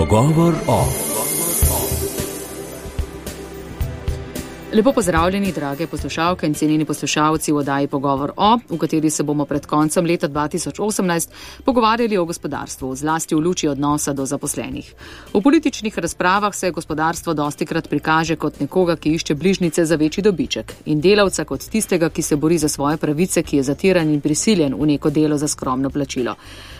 Pogovor o. Lepo pozdravljeni, drage poslušalke in cenjeni poslušalci v oddaji Pogovor o, v kateri se bomo pred koncem leta 2018 pogovarjali o gospodarstvu, zlasti v luči odnosa do zaposlenih. V političnih razpravah se gospodarstvo dostikrat prikaže kot nekoga, ki išče bližnjice za večji dobiček, in delavca kot tistega, ki se bori za svoje pravice, ki je zatiran in prisiljen v neko delo za skromno plačilo.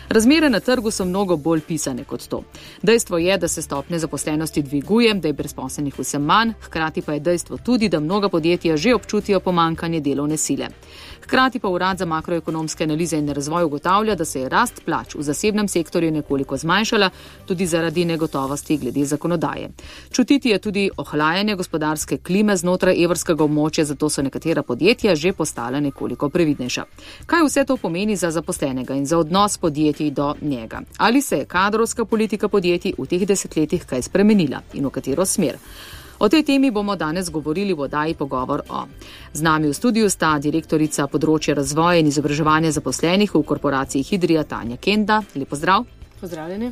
Razmere na trgu so mnogo bolj pisane kot to. Dejstvo je, da se stopnja zaposlenosti dviguje, da je brezposelnih vse manj, hkrati pa je dejstvo tudi, da mnoga podjetja že občutijo pomanjkanje delovne sile. Hkrati pa Urad za makroekonomske analize in razvoj ugotavlja, da se je rast plač v zasebnem sektorju nekoliko zmanjšala, tudi zaradi negotovosti glede zakonodaje. Čutiti je tudi ohlajanje gospodarske klime znotraj evrskega območja, zato so nekatera podjetja že postala nekoliko previdnejša. Kaj vse to pomeni za zaposlenega in za odnos podjetij do njega? Ali se je kadrovska politika podjetij v teh desetletjih kaj spremenila in v katero smer? O tej temi bomo danes govorili v oddaji Pogovor o. Z nami v studiu sta direktorica področja razvoja in izobraževanja zaposlenih v korporaciji Hidrija Tanja Kenda. Lep pozdrav. Pozdravljeni.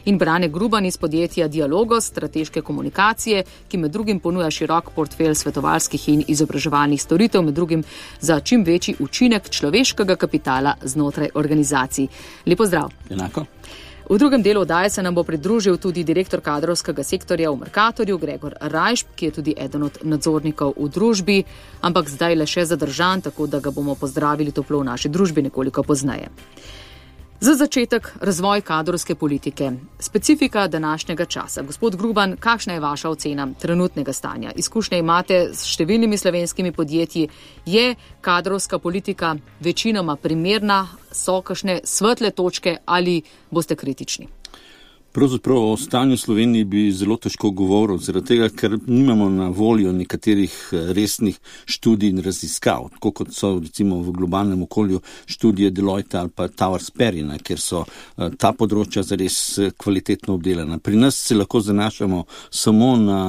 In Brane Gruban iz podjetja Dialogos, strateške komunikacije, ki med drugim ponuja širok portfelj svetovalskih in izobraževalnih storitev, med drugim za čim večji učinek človeškega kapitala znotraj organizacij. Lep pozdrav. Enako. V drugem delu oddaje se nam bo pridružil tudi direktor kadrovskega sektorja v Mercatorju, Gregor Rajšp, ki je tudi eden od nadzornikov v družbi, ampak zdaj le še zadržan, tako da ga bomo pozdravili toplo v naši družbi nekoliko pozneje. Za začetek razvoj kadrovske politike. Specifika današnjega časa. Gospod Gruban, kakšna je vaša ocena trenutnega stanja? Izkušnje imate s številnimi slovenskimi podjetji. Je kadrovska politika večinoma primerna? So kakšne svetle točke ali boste kritični? Pravzaprav o stanju Sloveniji bi zelo težko govoril, zaradi tega, ker nimamo na voljo nekaterih resnih študij in raziskav, tako kot so recimo v globalnem okolju študije Deloitte ali pa Towers Perrina, kjer so ta področja zares kvalitetno obdelana. Pri nas se lahko zanašamo samo na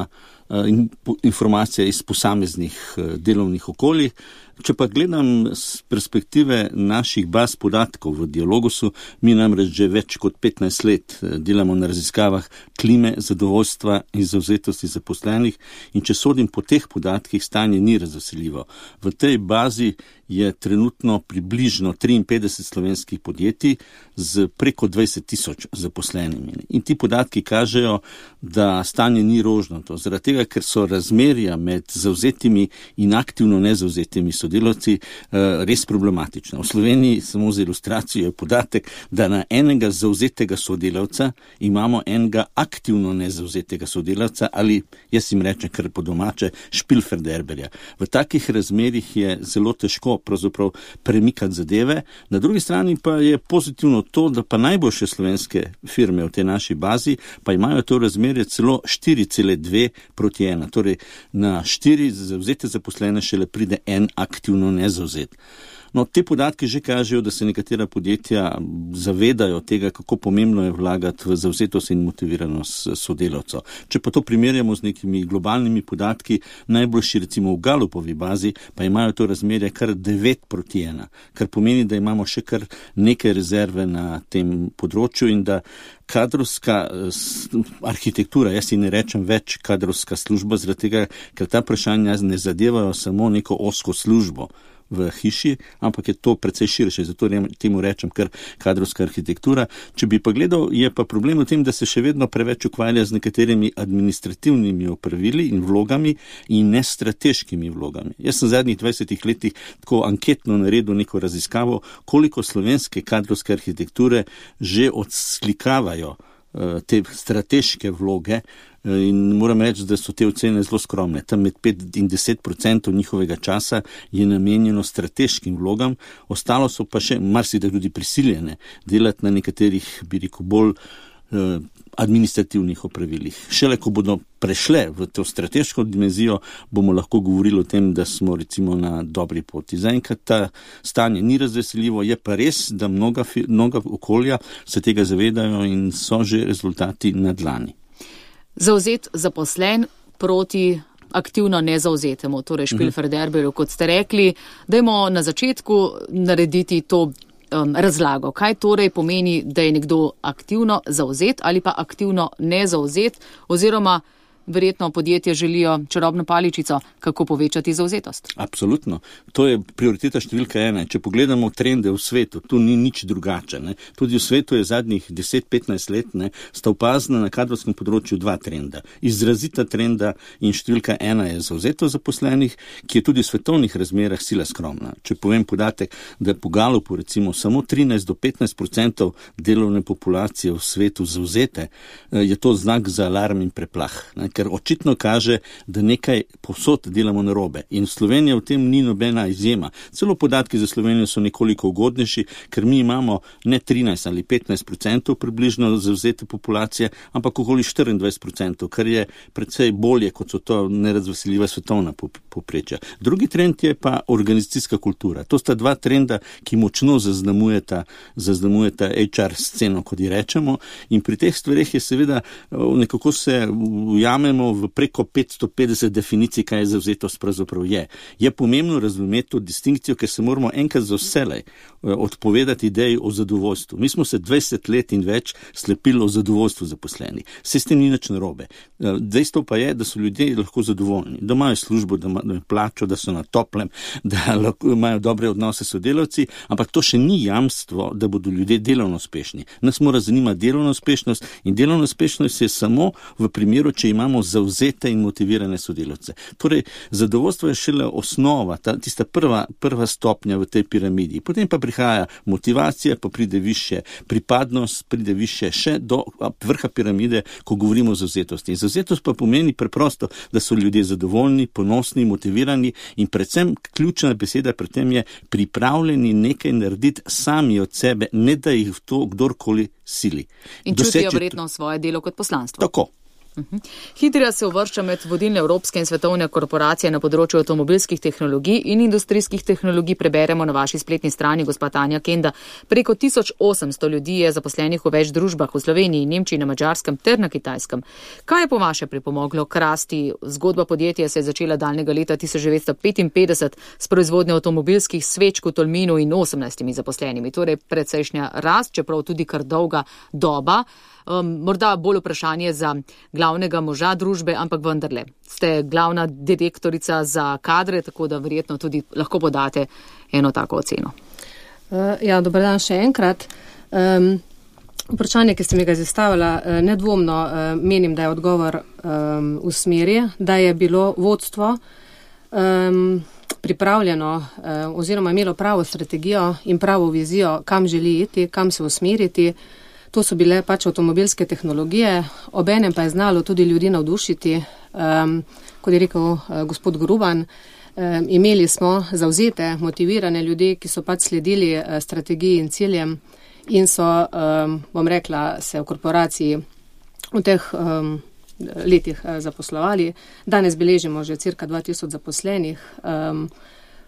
informacije iz posameznih delovnih okoljih. Če pa gledam z perspektive naših baz podatkov v Dialogosu, mi namreč že več kot 15 let delamo na raziskavah klime, zadovoljstva in zavzetosti zaposlenih, in če sodim po teh podatkih, stanje ni razveseljivo. V tej bazi je trenutno približno 53 slovenskih podjetij z preko 20,000 zaposlenimi. In ti podatki kažejo, da stanje ni rožnato, zaradi tega, ker so razmerja med zavzetimi in aktivno nezavzetimi sodelavci res problematična. V Sloveniji, samo za ilustracijo, je podatek, da na enega zavzetega sodelavca imamo enega aktivno nezavzetega sodelavca ali, jaz jim rečem kar po domače, špilferderberja. V takih razmerjih je zelo težko pravzaprav premikati zadeve. Na drugi strani pa je pozitivno to, da pa najboljše slovenske firme v tej naši bazi pa imajo to razmerje celo 4,2:1. Torej na 4 zavzete zaposlene šele pride en aktivno nezavzet. No, te podatke že kažejo, da se nekatera podjetja zavedajo tega, kako pomembno je vlagati v zavzetost in motiviranost sodelavcev. Če pa to primerjamo z nekimi globalnimi podatki, najboljši recimo v Gallupovi bazi, pa imajo to razmerje kar 9:1, kar pomeni, da imamo še kar nekaj rezerve na tem področju in da kadrovska arhitektura, jaz si ne rečem več kadrovska služba, zaradi tega, ker ta vprašanja ne zadevajo samo neko ozko službo v hiši, ampak je to precej širše, zato temu rečem kar kadrovska arhitektura. Če bi pa gledal, je pa problem v tem, da se še vedno preveč ukvarja z nekaterimi administrativnimi opravili in vlogami in ne strateškimi vlogami. Jaz sem v zadnjih 20 letih tako anketno naredil neko raziskavo, koliko slovenske kadrovske arhitekture že odslikavajo te strateške vloge, in moram reči, da so te ocene zelo skromne. Tam med 5 in 10% njihovega časa je namenjeno strateškim vlogam, ostalo so pa še marsikdaj tudi prisiljene delati na nekaterih, bi rekel, bolj administrativnih opravilih. Šele ko bodo prešle v to strateško dimenzijo, bomo lahko govorili o tem, da smo recimo na dobri poti. Zaenkrat ta stanje ni razveseljivo, je pa res, da mnoga okolja se tega zavedajo in so že rezultati na dlani. Zavzet zaposlen proti aktivno nezavzetemu, torej špilferderberju, kot ste rekli, dajmo na začetku narediti to razlago. Kaj torej pomeni, da je nekdo aktivno zauzet ali pa aktivno nezauzet, oziroma verjetno podjetje želijo čarobno paličico, kako povečati zauzetost? Absolutno. To je prioriteta številka 1. Če pogledamo trende v svetu, tu ni nič drugače. Ne. Tudi v svetu je zadnjih 10-15 let sta opazna na kadrovskem področju 2 trenda. Izrazita trenda in številka 1 je zauzetost zaposlenih, ki je tudi v svetovnih razmerah sila skromna. Če povem podatek, da je po Galupu recimo samo 13-15% delovne populacije v svetu zauzete, je to znak za alarm in preplah. Ne. Ker očitno kaže, da nekaj povsod delamo narobe. In Slovenija v tem ni nobena izjema. Celo podatki za Slovenijo so nekoliko ugodnejši, ker mi imamo ne 13 ali 15% približno zavzete populacije, ampak okoli 24%, kar je precej bolje, kot so to nerazveseljiva svetovna povprečja. Drugi trend je pa organizacijska kultura. To sta 2 trenda, ki močno zaznamujeta HR sceno, kot ji rečemo. In pri teh stvareh je seveda nekako se ujamemo v preko 550 definicij, kaj je zavzetost pravzaprav je. Je pomembno razumeti to distinkcijo, ker se moramo enkrat za vselej odpovedati ideji o zadovoljstvu. Mi smo se 20 let in več slepili o zadovoljstvu zaposlenih. Se s tem ni nič narobe. Dejstvo pa je, da so ljudje lahko zadovoljni, da imajo službo, da imajo plačo, da so na toplem, da imajo dobre odnose s sodelavci, ampak to še ni jamstvo, da bodo ljudje delovno uspešni. Nas mora zanimati delovna uspešnost in delovna uspešnost je samo v primeru, če imamo zavzete in motivirane sodelavce. Torej, zadovoljstvo je šele osnova, tista prva stopnja v tej piramidi. Potem pa prihaja motivacija, pa pride više pripadnost, pride više še do vrha piramide, ko govorimo o zavzetosti. In zavzetost pa pomeni preprosto, da so ljudje zadovoljni, ponosni, motivirani in predvsem ključna beseda pri tem je pripravljeni nekaj narediti sami od sebe, ne da jih v to kdorkoli sili. In čutijo verjetno svoje delo kot poslanstvo. Tako. Hidria se uvršča med vodilne evropske in svetovne korporacije na področju avtomobilskih tehnologij in industrijskih tehnologij. Preberemo na vaši spletni strani, gospa Tanja Kenda. Preko 1800 ljudi je zaposlenih v več družbah v Sloveniji, Nemčiji, na Madžarskem ter na Kitajskem. Kaj je po vaše pripomoglo k rasti? Zgodba podjetja se je začela daljnega leta 1955 s proizvodnjo avtomobilskih sveč v Tolminu in 18 zaposlenimi. Torej precejšnja rast, čeprav tudi kar dolga doba. Morda bolj vprašanje za glavnega moža družbe, ampak vendarle. Ste glavna direktorica za kadre, tako da verjetno tudi lahko podate eno tako oceno. Ja, dober dan še enkrat. Vprašanje, ki ste mi ga zastavila, nedvomno menim, da je odgovor v smeri, da je bilo vodstvo pripravljeno oziroma imelo pravo strategijo in pravo vizijo, kam želi iti, kam se usmeriti. To so bile pač avtomobilske tehnologije, obenem pa je znalo tudi ljudi navdušiti, kot je rekel gospod Gruban. Imeli smo zavzete, motivirane ljudi, ki so pač sledili strategiji in ciljem in so, bom rekla, se v korporaciji v teh letih zaposlovali. Danes beležimo že cirka 2000 zaposlenih.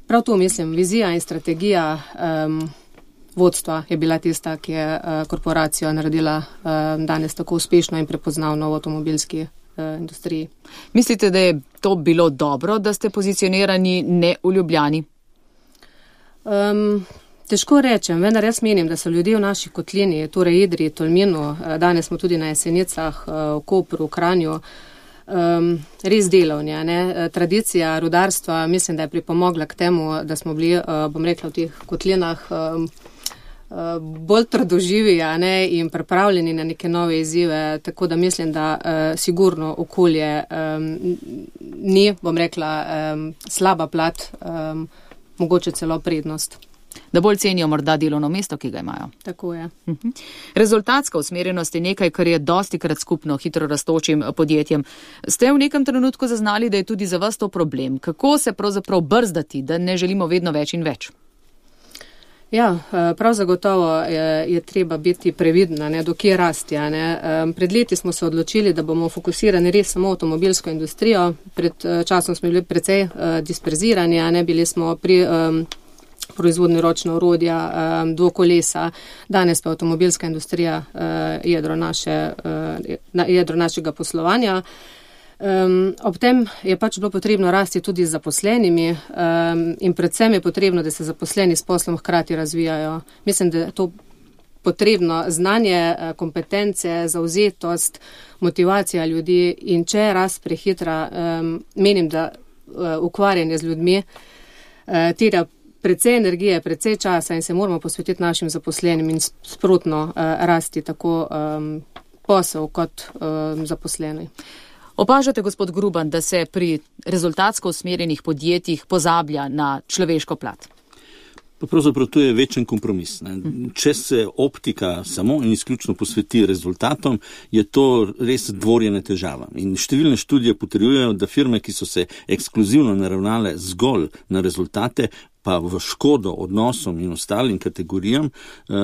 Prav to mislim, vizija in strategija vodstva je bila tista, ki je korporacijo naredila danes tako uspešno in prepoznavno v avtomobilski industriji. Mislite, da je to bilo dobro, da ste pozicionirani ne v Ljubljani? Težko rečem, vendar jaz menim, da so ljudje v naši kotlini, torej Idriji, Tolminu, danes smo tudi na Jesenicah, v Kopru, v Kranju, res delovni. Tradicija rudarstva mislim, da je pripomogla k temu, da smo bili, bom rekla, v teh kotlinah bolj trdoživi in pripravljeni na neke nove izzive, tako da mislim, da sigurno okolje ni, bom rekla, slaba plat, mogoče celo prednost. Da bolj cenijo morda delovno mesto, ki ga imajo. Tako je. Rezultatska usmerjenost je nekaj, kar je dostikrat skupno hitro rastočim podjetjem. Ste v nekem trenutku zaznali, da je tudi za vas to problem? Kako se pravzaprav brzdati, da ne želimo vedno več in več? Ja, prav zagotovo je treba biti previdna, dokje rasti. Pred leti smo se odločili, da bomo fokusirani res samo avtomobilsko industrijo. Pred časom smo bili precej disperzirani, bili smo pri proizvodnje ročna orodja, dvokolesa. Danes pa avtomobilska industrija jedro našega poslovanja. Ob tem je pač bilo potrebno rasti tudi z zaposlenimi in predvsem je potrebno, da se zaposleni s poslom hkrati razvijajo. Mislim, da je to potrebno znanje, kompetence, zauzetost, motivacija ljudi in če je rast prehitra, menim, da ukvarjanje z ljudmi terja precej energije, precej časa in se moramo posvetiti našim zaposlenim in sprotno rasti tako posel kot zaposleni. Opažate, gospod Gruban, da se pri rezultatsko usmerjenih podjetjih pozablja na človeško plat? Pa pravzaprav to je večen kompromis. Ne. Če se optika samo in izključno posveti rezultatom, je to res dvorjena težava. In številne študije potrjujejo, da firme, ki so se ekskluzivno naravnale zgolj na rezultate, pa v škodo odnosom in ostalim kategorijam,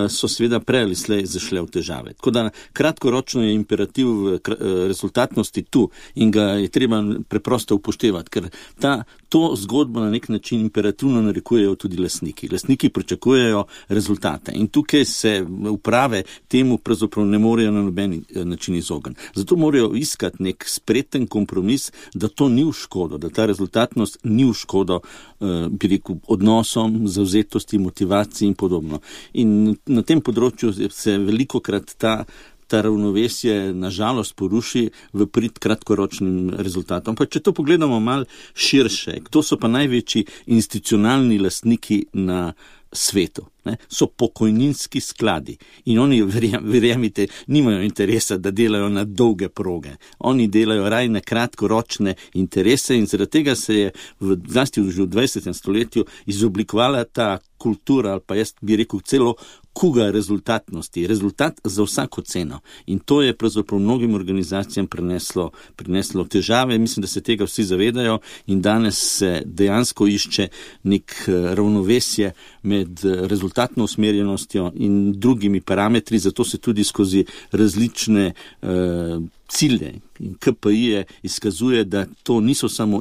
so seveda prej ali slej zašle v težave. Tako da kratkoročno je imperativ rezultatnosti tu in ga je treba preprosto upoštevati, ker to zgodbo na nek način imperativno narekujejo tudi lastniki. Lastniki pričakujejo rezultate in tukaj se uprave temu pravzaprav ne morejo na noben način izogniti. Zato morajo iskati nek spreten kompromis, da to ni v škodo, da ta rezultatnost ni v škodo, bi rekel, odnosom, zavzetosti, motivaciji in podobno. In na tem področju se velikokrat ta ravnovesje nažalost poruši v prid kratkoročnim rezultatom. Pa če to pogledamo malo širše, kdo so pa največji institucionalni lastniki na svetu? Ne? So pokojninski skladi in oni, verjemite, nimajo interesa, da delajo na dolge proge. Oni delajo raj na kratkoročne interese in zaradi tega se je zlasti v 20. stoletju izoblikovala ta kultura, ali pa jaz bi rekel celo kuga rezultatnosti. Rezultat za vsako ceno. In to je pravzaprav mnogim organizacijam prineslo težave. Mislim, da se tega vsi zavedajo in danes se dejansko išče nek ravnovesje med rezultatno usmerjenostjo in drugimi parametri, zato se tudi skozi različne cilje in KPI-je izkazuje, da to niso samo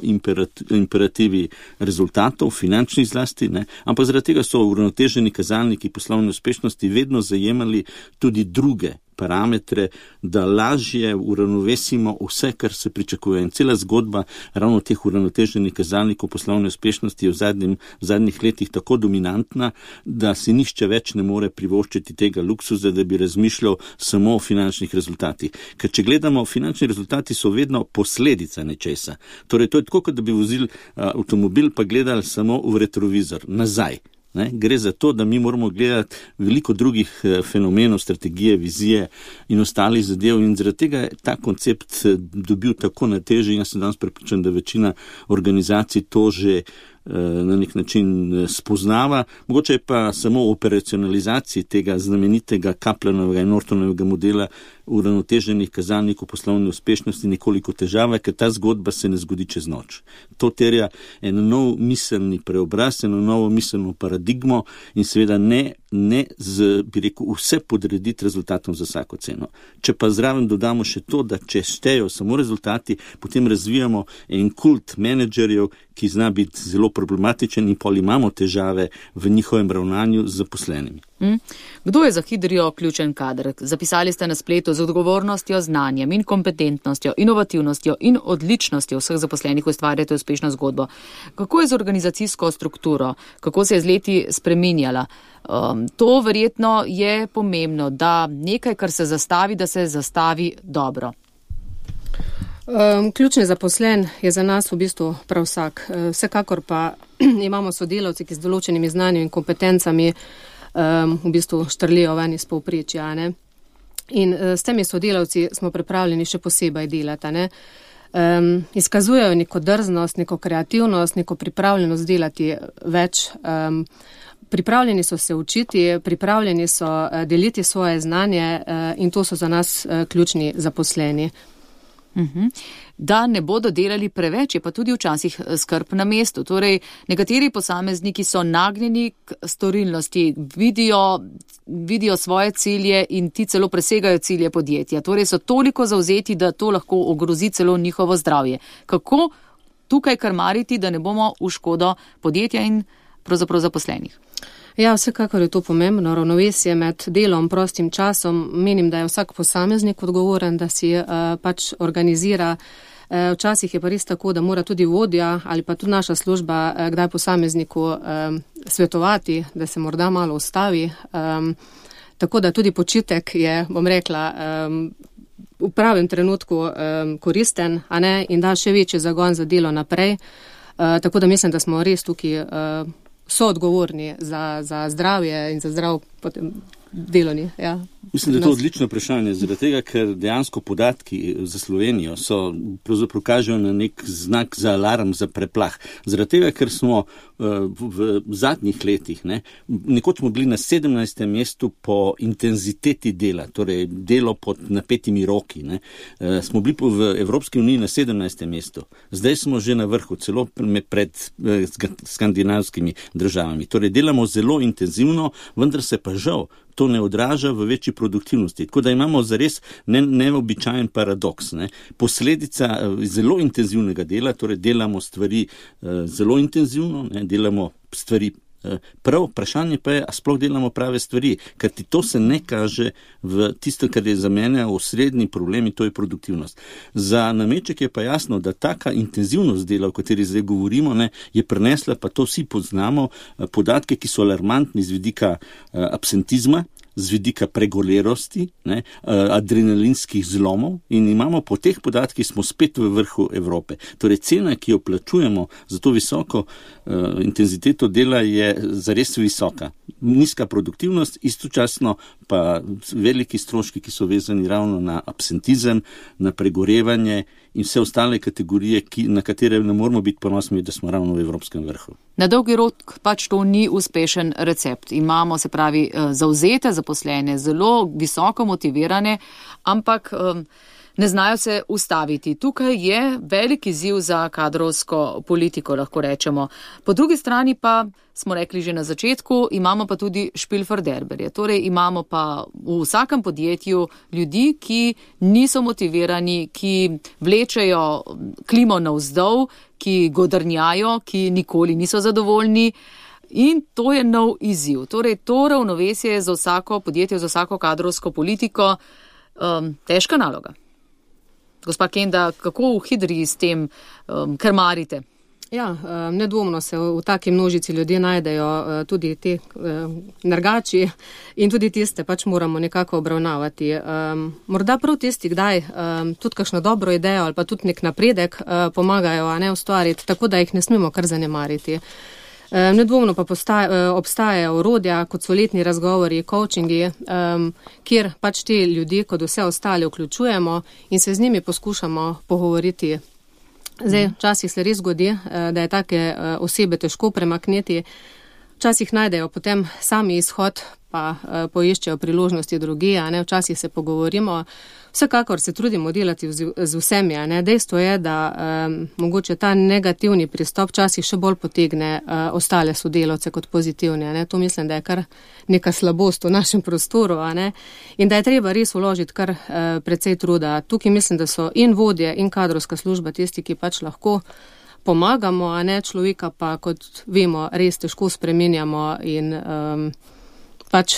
imperativi rezultatov, finančnih zlasti, ne, ampak zaradi tega so uravnoteženi kazalniki poslovne uspešnosti vedno zajemali tudi druge parametre, da lažje uravnovesimo vse, kar se pričakuje. In cela zgodba ravno teh uravnoteženih kazalnikov poslovne uspešnosti je v zadnjih letih tako dominantna, da si nihče več ne more privoščiti tega luksuza, da bi razmišljal samo o finančnih rezultatih. Ker če gledamo, finančni rezultati so vedno posledica nečesa. Torej, to je tako, kot da bi vozili avtomobil pa gledali samo v retrovizor, nazaj. Ne? Gre za to, da mi moramo gledati veliko drugih fenomenov, strategije, vizije in ostalih zadev in zaradi tega je ta koncept dobil tako na teži in jaz sem danes prepričan, da večina organizacij to že na nek način spoznava. Mogoče je pa samo operacionalizaciji tega znamenitega Kaplanovega in Nortonovega modela uravnoteženih kazalnikov poslovne uspešnosti nekoliko težava, ker ta zgodba se ne zgodi čez noč. To terja en nov miselni preobraz, eno novo miselno paradigmo in seveda ne bi rekel, vse podrediti rezultatom za vsako ceno. Če pa zraven dodamo še to, da če štejo samo rezultati, potem razvijamo en kult menedžerjev, ki zna biti zelo problematičen in pol imamo težave v njihovem ravnanju z zaposlenimi. Kdo je za Hidrio ključen kader? Zapisali ste na spletu: z odgovornostjo, znanjem in kompetentnostjo, inovativnostjo in odličnostjo vseh zaposlenih ustvarjate uspešno zgodbo. Kako je z organizacijsko strukturo? Kako se je z leti spreminjala? To verjetno je pomembno, da nekaj, kar se zastavi, da se zastavi dobro. Ključni zaposlen je za nas v bistvu prav vsak. Vsekakor pa imamo sodelavci, ki z določenimi znanji in kompetencami v bistvu štrlijo ven iz povprečja. In s temi sodelavci smo pripravljeni še posebej delati. Izkazujejo neko drznost, neko kreativnost, neko pripravljenost delati več. Pripravljeni so se učiti, pripravljeni so deliti svoje znanje in to so za nas ključni zaposleni. Da ne bodo delali preveč, je pa tudi včasih skrb na mestu. Torej, nekateri posamezniki so nagnjeni k storilnosti, vidijo svoje cilje in ti celo presegajo cilje podjetja. Torej, so toliko zavzeti, da to lahko ogrozi celo njihovo zdravje. Kako tukaj krmariti, da ne bomo v škodo podjetja in pravzaprav zaposlenih? Ja, vsekakor je to pomembno. Ravnovesje med delom, prostim časom. Menim, da je vsak posameznik odgovoren, da si pač organizira Včasih je pa res tako, da mora tudi vodja ali pa tudi naša služba kdaj posamezniku svetovati, da se morda malo ustavi. Tako da tudi počitek je, bom rekla, v pravem trenutku koristen, a ne, in da še večji zagon za delo naprej. Tako da mislim, da smo res tukaj soodgovorni za zdravje in za zdrav potem delovni. Ja. Mislim, da je to odlično vprašanje, zaradi tega, ker dejansko podatki za Slovenijo pravzaprav kažejo na nek znak za alarm, za preplah. Zaradi tega, ker smo v zadnjih letih, nekoč smo bili na 17. mestu po intenziteti dela, torej delo pod napetimi roki. Smo bili v Evropski uniji na 17. mestu. Zdaj smo že na vrhu, celo pred skandinavskimi državami. Torej delamo zelo intenzivno, vendar se pa žal to ne odraža v večji produktivnosti. Tako da imamo zares neobičajen paradoks. Posledica zelo intenzivnega dela, torej delamo stvari zelo intenzivno, delamo stvari prav, vprašanje pa je, a sploh delamo prave stvari, ker ti to se ne kaže v tisto, kar je za mene osrednji problem, in to je produktivnost. Za nameček je pa jasno, da taka intenzivnost dela, o kateri zdaj govorimo, je prinesla, pa to vsi poznamo, podatke, ki so alarmantni z vidika absentizma, z vidika pregolerosti, adrenalinskih zlomov, in imamo po teh podatkih smo spet v vrhu Evrope. Torej cena, ki jo plačujemo za to visoko intenziteto dela, je zares visoka. Nizka produktivnost, istočasno pa veliki stroški, ki so vezani ravno na absentizem, na pregorevanje in vse ostale kategorije, na katere ne moramo biti ponosni, da smo ravno v evropskem vrhu. Na dolgi rok pač to ni uspešen recept. Imamo, se pravi, zavzete zaposlene, zelo visoko motivirane, ampak ne znajo se ustaviti. Tukaj je velik izziv za kadrovsko politiko, lahko rečemo. Po drugi strani pa, smo rekli že na začetku, imamo pa tudi špilferderberje. Torej imamo pa v vsakem podjetju ljudi, ki niso motivirani, ki vlečejo klimo navzdol, ki godrnjajo, ki nikoli niso zadovoljni. In to je nov izziv. Torej to ravnovesje za vsako podjetje, za vsako kadrovsko politiko, težka naloga. Gospa Kenda, kako v Hidrii s tem krmarite? Ja, nedvomno se v taki množici ljudje najdejo tudi te nergači in tudi tiste pač moramo nekako obravnavati. Morda prav tisti, kdaj tudi kakšno dobro idejo ali pa tudi nek napredek pomagajo ustvariti, tako da jih ne smemo kar zanemariti. Nedvomno pa obstajajo orodja, kot so letni razgovori, coachingi, kjer pač te ljudi, kot vse ostale, vključujemo in se z njimi poskušamo pogovoriti. Zdaj, včasih se res zgodi, da je take osebe težko premakniti, včasih najdejo potem sami izhod, pa poiščejo priložnosti drugje, včasih se pogovorimo. Vsekakor se trudimo delati z vsemi. Dejstvo je, da mogoče ta negativni pristop včasih še bolj potegne ostale sodelavce kot pozitivni. To mislim, da je kar neka slabost v našem prostoru in da je treba res vložiti kar precej truda. Tukaj mislim, da so in vodje in kadrovska služba tisti, ki pač lahko pomagamo, človeka pa, kot vemo, res težko spreminjamo in pač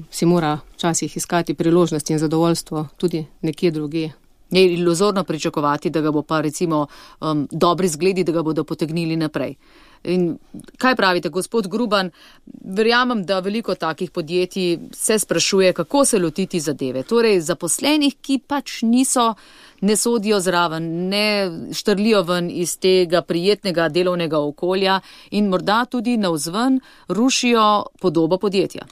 si mora včasih iskati priložnosti in zadovoljstvo tudi nekje drugje. Je iluzorno pričakovati, da ga bo pa recimo dobri zgledi, da ga bodo potegnili naprej. In kaj pravite, gospod Gruban? Verjamem, da veliko takih podjetij se sprašuje, kako se lotiti zadeve. Torej, zaposlenih, ki pač ne sodijo zraven, ne štrlijo ven iz tega prijetnega delovnega okolja in morda tudi navzven rušijo podobo podjetja.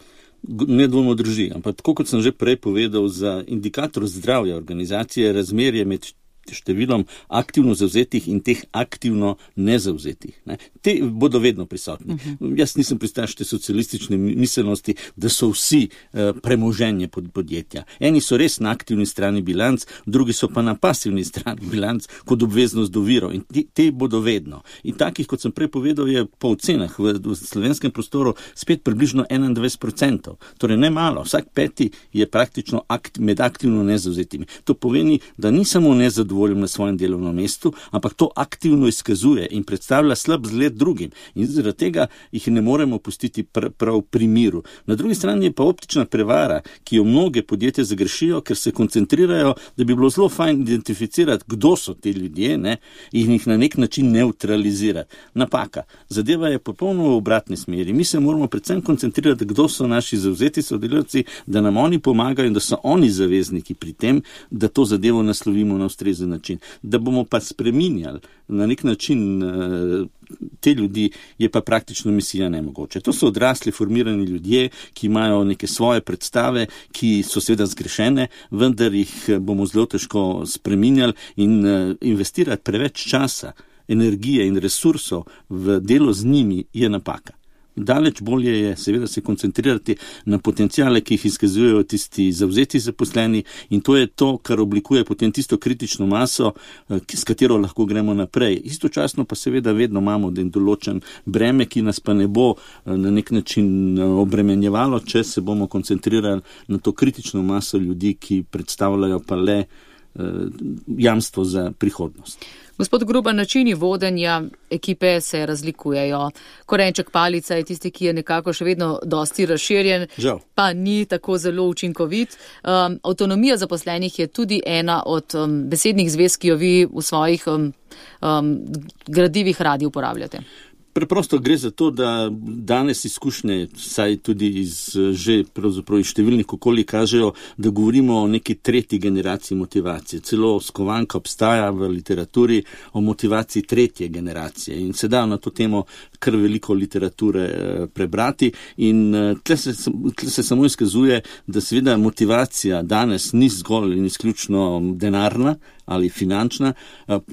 Nedvomno drži, ampak tako kot sem že prej povedal, za indikator zdravja organizacije razmerje med številom aktivno zavzetih in teh aktivno nezavzetih. Te bodo vedno prisotni. Jaz nisem pristaš te socialistične miselnosti, da so vsi premoženje podjetja. Eni so res na aktivni strani bilanc, drugi so pa na pasivni strani bilanc kot obveznost do virov in te bodo vedno. In takih, kot sem prej povedal, je po ocenah v slovenskem prostoru spet približno 21%. Torej ne malo, vsak peti je praktično med aktivno nezavzetimi. To pomeni, da ni samo nezadovoljni nezadovoljen na svojem delovnem mestu, ampak to aktivno izkazuje in predstavlja slab zgled drugim. In zaradi tega jih ne moremo pustiti prav pri miru. Na drugi strani je pa optična prevara, ki jo mnoge podjetja zagrešijo, ker se koncentrirajo, da bi bilo zelo fajn identificirati, kdo so ti ljudje, ne, in jih na nek način neutralizirati. Napaka. Zadeva je popolnoma v obratni smeri. Mi se moramo predvsem koncentrirati, kdo so naši zavzeti sodelavci, da nam oni pomagajo in da so oni zavezniki pri tem, da to zadevo naslovimo na ustrezen način. Da bomo pa spreminjali na nek način te ljudi, je pa praktično misija nemogoče. To so odrasli, formirani ljudje, ki imajo neke svoje predstave, ki so seveda zgrešene, vendar jih bomo zelo težko spreminjali in investirati preveč časa, energije in resursov v delo z njimi je napaka. Daleč bolje je seveda se koncentrirati na potencijale, ki jih izkazujejo tisti zavzeti zaposleni, in to je to, kar oblikuje potem tisto kritično maso, s katero lahko gremo naprej. Istočasno pa seveda vedno imamo določen breme, ki nas pa ne bo na nek način obremenjevalo, če se bomo koncentrirali na to kritično maso ljudi, ki predstavljajo pa le jamstvo za prihodnost. Gospod Grubar, načini vodenja ekipe se razlikujejo. Korenček palica je tisti, ki je nekako še vedno dosti razširjen, Žal. Pa ni tako zelo učinkovit. Avtonomija zaposlenih je tudi ena od besednih zvez, ki jo vi v svojih gradivih radi uporabljate. Preprosto gre za to, da danes izkušnje, saj tudi iz številnih okolij kažejo, da govorimo o neki tretji generaciji motivacije. Celo skovanka obstaja v literaturi o motivaciji tretje generacije in se da na to temo kar veliko literature prebrati in tle se samo izkazuje, da seveda motivacija danes ni zgolj in izključno denarna ali finančna,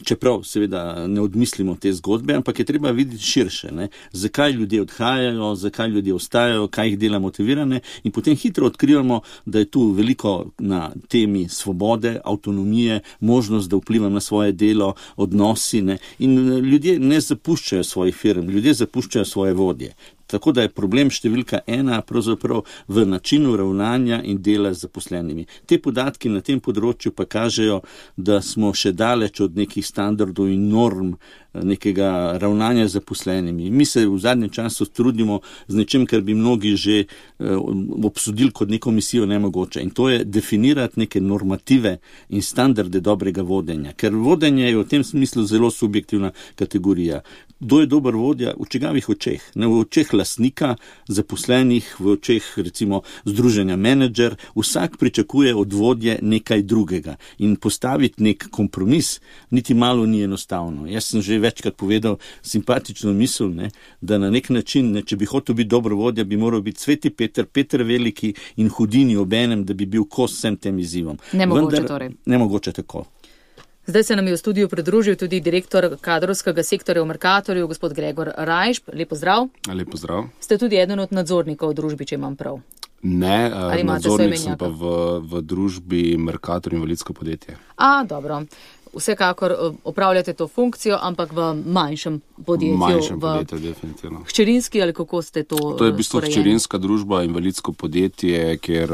čeprav seveda ne odmislimo te zgodbe, ampak je treba videti širše, ne? Zakaj ljudje odhajajo, zakaj ljudje ostajajo, kaj jih dela motivirane in potem hitro odkrivamo, da je tu veliko na temi svobode, avtonomije, možnost, da vplivam na svoje delo, odnosi, ne? In ljudje ne zapuščajo svojih firm, ljudje zapuščajo svoje vodje. Tako da je problem številka 1 pravzaprav v načinu ravnanja in dela z zaposlenimi. Te podatki na tem področju pa kažejo, da smo še daleč od nekih standardov in norm nekega ravnanja z zaposlenimi. Mi se v zadnjem času trudimo z nečem, kar bi mnogi že obsodili kot neko misijo nemogoče. In to je definirati neke normative in standarde dobrega vodenja. Ker vodenje je v tem smislu zelo subjektivna kategorija. Kdo je dober vodja? V čigavih očeh? Ne v očeh lastnika, zaposlenih, v očeh recimo združenja menedžer. Vsak pričakuje od vodje nekaj drugega. In postaviti nek kompromis niti malo ni enostavno. Jaz sem že večkrat povedal simpatično misel, ne, da na nek način, ne, če bi hotel biti dober vodja, bi moral biti Sveti Peter, Peter Veliki in Hudini obenem, da bi bil kos vsem tem izzivom. Nemogoče torej. Nemogoče tako. Zdaj se nam je v studiju pridružil tudi direktor kadrovskega sektorja v Mercatorju, gospod Gregor Rajš. Lep pozdrav. Lep pozdrav. Ste tudi eden od nadzornikov v družbi, če imam prav. Ne, nadzornik sem pa v družbi Mercator invalidsko podjetje. Dobro. Vsekakor opravljate to funkcijo, ampak v manjšem podjetju. Manjšem podjetju, definitivno. Hčerinski ali kako ste to? To je v bistvu hčerinska družba, invalidsko podjetje, kjer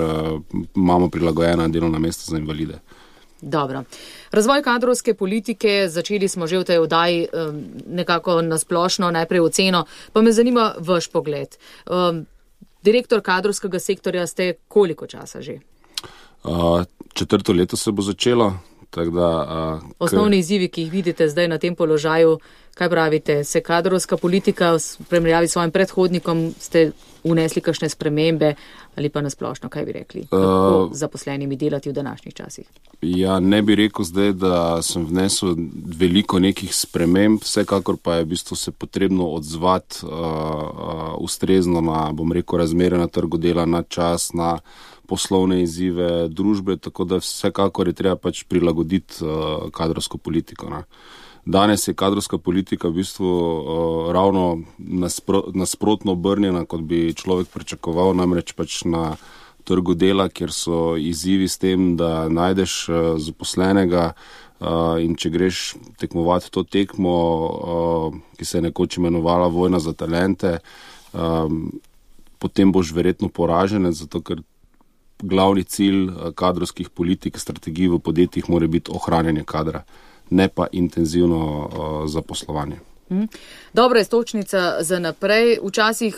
imamo prilagojena delovna mesta za invalide. Dobro. Razvoj kadrovske politike, začeli smo že v tej oddaji nekako nasplošno, najprej oceno, pa me zanima vaš pogled. Direktor kadrovskega sektorja ste koliko časa že? 4. leto se bo začelo. Osnovni izzivi, ki jih vidite zdaj na tem položaju, kaj pravite, se kadrovska politika v primerjavi s svojim predhodnikom, ste unesli kakšne spremembe ali pa nasplošno, kaj bi rekli, kako zaposlenimi delati v današnjih časih? Ja, ne bi rekel zdaj, da sem vnesel veliko nekih sprememb, vsekakor pa je v bistvu se potrebno odzvati ustrezno na, bom rekel, razmere na trgu dela, na čas, na poslovne izzive družbe, tako da vsekakor je treba pač prilagoditi kadrovsko politiko. Ne. Danes je kadrovska politika v bistvu ravno nasprotno obrnjena, kot bi človek pričakoval, namreč pač na trgu dela, kjer so izzivi s tem, da najdeš zaposlenega in če greš tekmovati to tekmo, ki se je nekoč imenovala Vojna za talente, potem boš verjetno poražen, zato ker glavni cilj kadrovskih politik, strategij v podjetjih mora biti ohranjanje kadra, ne pa intenzivno zaposlovanje. Dobra istočnica za naprej. Včasih,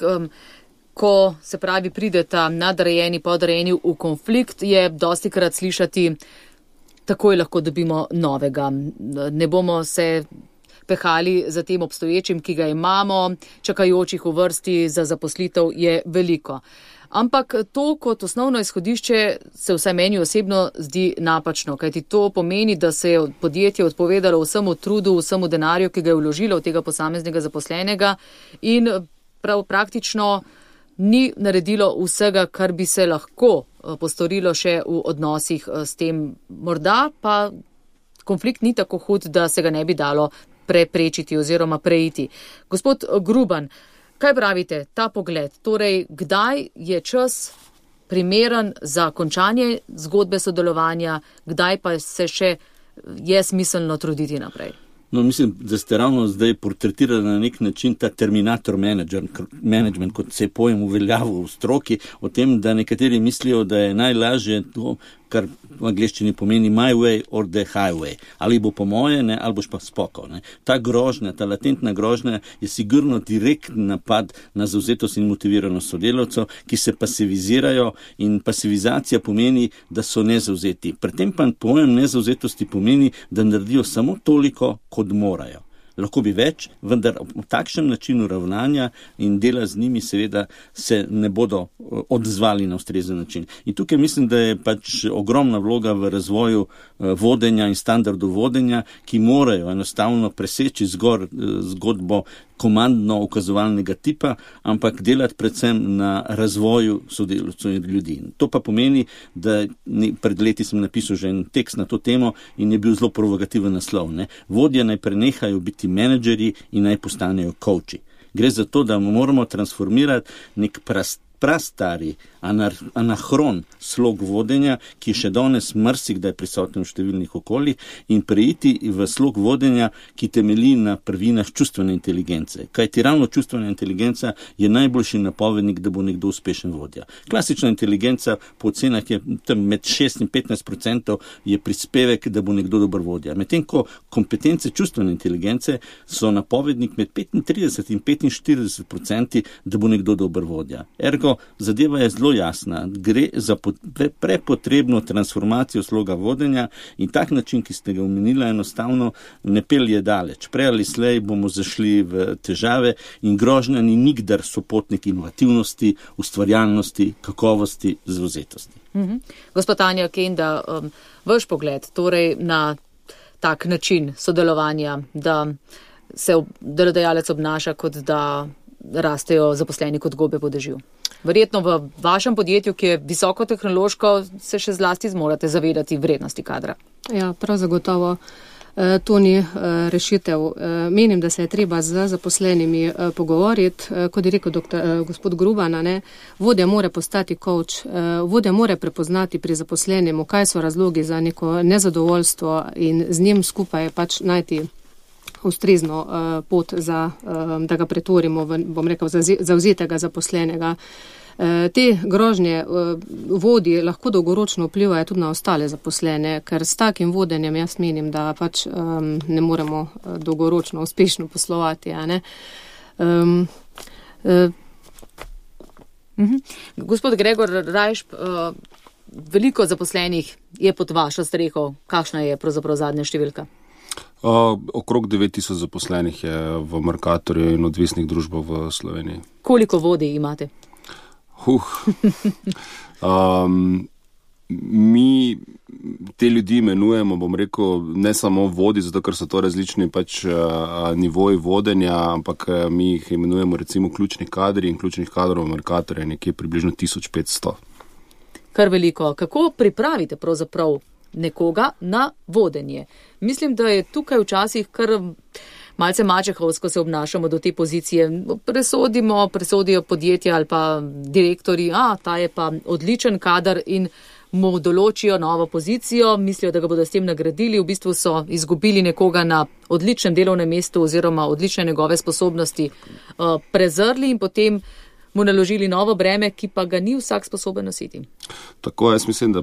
ko se pravi prideta nadrejeni, podrejeni v konflikt, je dostikrat slišati, takoj lahko dobimo novega. Ne bomo se pehali za tem obstoječim, ki ga imamo, čakajočih v vrsti za zaposlitev je veliko. Ampak to kot osnovno izhodišče se vsaj meni osebno zdi napačno, kajti to pomeni, da se je podjetje odpovedalo vsemu trudu, vsemu denarju, ki ga je vložilo v tega posameznega zaposlenega in praktično ni naredilo vsega, kar bi se lahko postorilo še v odnosih s tem. Morda pa konflikt ni tako hud, da se ga ne bi dalo preprečiti oziroma preiti. Gospod Gruban, kaj pravite, ta pogled? Torej, kdaj je čas primeren za končanje zgodbe sodelovanja, kdaj pa se še je smiselno truditi naprej? No, mislim, da ste ravno zdaj portretirali na nek način ta terminator management, kot se je pojem uveljavil v stroki, o tem, da nekateri mislijo, da je najlažje to, kar v angleščini pomeni my way or the highway. Ali bo po moje, ne, ali boš pa spokal. Ne. Ta grožnja, ta latentna grožnja je sigurno direktni napad na zavzetost in motiviranost sodelavcev, ki se pasivizirajo, in pasivizacija pomeni, da so nezavzeti. Pri tem pa pojem nezavzetosti pomeni, da naredijo samo toliko, kot morajo. Lahko bi več, vendar v takšnem načinu ravnanja in dela z njimi seveda se ne bodo odzvali na ustrezen način. In tukaj mislim, da je pač ogromna vloga v razvoju vodenja in standardu vodenja, ki morajo enostavno preseči zgodbo komandno-ukazovalnega tipa, ampak delati predvsem na razvoju sodelavcev in ljudi. To pa pomeni, da pred leti sem napisal že en tekst na to temo in je bil zelo provokativen naslov. Ne? Vodje naj prenehajo biti menedžerji in naj postanejo coachi. Gre za to, da moramo transformirati nek prastari anahron slog vodenja, ki še danes marsikdaj prisoten v številnih okoljih, in preiti v slog vodenja, ki temelji na prvinah čustvene inteligence. Kajti ravno čustvena inteligenca je najboljši napovednik, da bo nekdo uspešen vodja. Klasična inteligenca po ocenah je tam med 6 in 15% je prispevek, da bo nekdo dober vodja. Medtem ko kompetence čustvene inteligence so napovednik med 35 in 45%, da bo nekdo dober vodja. Ergo, zadeva je zelo jasna. Gre za prepotrebno transformacijo sloga vodenja in tak način, ki ste ga omenila, enostavno ne pelje daleč. Prej ali slej bomo zašli v težave in grožnja ni nikdar sopotnik inovativnosti, ustvarjalnosti, kakovosti, zavzetosti. Gospod Tanja Kenda, vaš pogled torej na tak način sodelovanja, da se delodajalec obnaša, kot da rastejo zaposleni kot gobe po dežju. Verjetno v vašem podjetju, ki je visokotehnološko, se še zlasti zmorate zavedati vrednosti kadra. Ja, prav zagotovo. To ni rešitev. Menim, da se je treba z zaposlenimi pogovoriti. Kot je rekel gospod Gruban, vodja mora postati coach, vodja mora prepoznati pri zaposlenemu, kaj so razlogi za neko nezadovoljstvo in z njim skupaj pač najti ustrezno pot, da ga pretvorimo v, bom rekel, zavzetega zaposlenega. Te grožnje vodji lahko dolgoročno vplivajo tudi na ostale zaposlene, ker s takim vodenjem jaz menim, da pač ne moremo dolgoročno uspešno poslovati. Gospod Gregor Rajšp, veliko zaposlenih je pod vašo streho. Kakšna je pravzaprav zadnja številka? Okrog 9000 zaposlenih je v Mercatorju in odvisnih družbah v Sloveniji. Koliko vodij imate? Mi te ljudi imenujemo, bom rekel, ne samo vodi, zato ker so to različni pač nivoji vodenja, ampak mi jih imenujemo recimo ključni kadri in ključnih kadrov v Mercatorju je nekje približno 1500. Kar veliko. Kako pripravite pravzaprav nekoga na vodenje? Mislim, da je tukaj včasih kar malce mačehovsko se obnašamo do te pozicije. Presodijo podjetja ali pa direktori, ta je pa odličen kadar in mu določijo novo pozicijo, mislijo, da ga bodo s tem nagradili, v bistvu so izgubili nekoga na odličnem delovnem mestu oziroma odlične njegove sposobnosti prezrli in potem mu naložili novo breme, ki pa ga ni vsak sposoben nositi. Tako, jaz mislim, da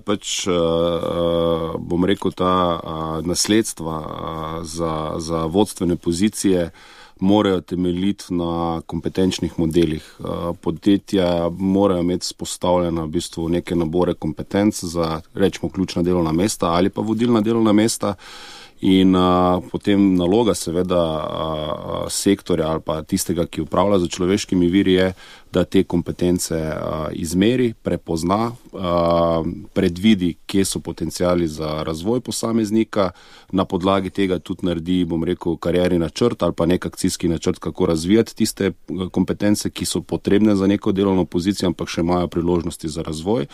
bom rekel, ta nasledstva za vodstvene pozicije morajo temeljiti na kompetenčnih modelih. Podjetja morajo imeti spostavljena v bistvu neke nabore kompetenc za, rečemo, ključna delovna mesta ali pa vodilna delovna mesta. In potem naloga seveda sektorja ali pa tistega, ki upravlja za človeškimi viri, je, da te kompetence izmeri, prepozna, predvidi, kje so potenciali za razvoj posameznika, na podlagi tega tudi naredi, bom rekel, karierni načrt ali pa nek akcijski načrt, kako razvijati tiste kompetence, ki so potrebne za neko delovno pozicijo, ampak še imajo priložnosti za razvoj.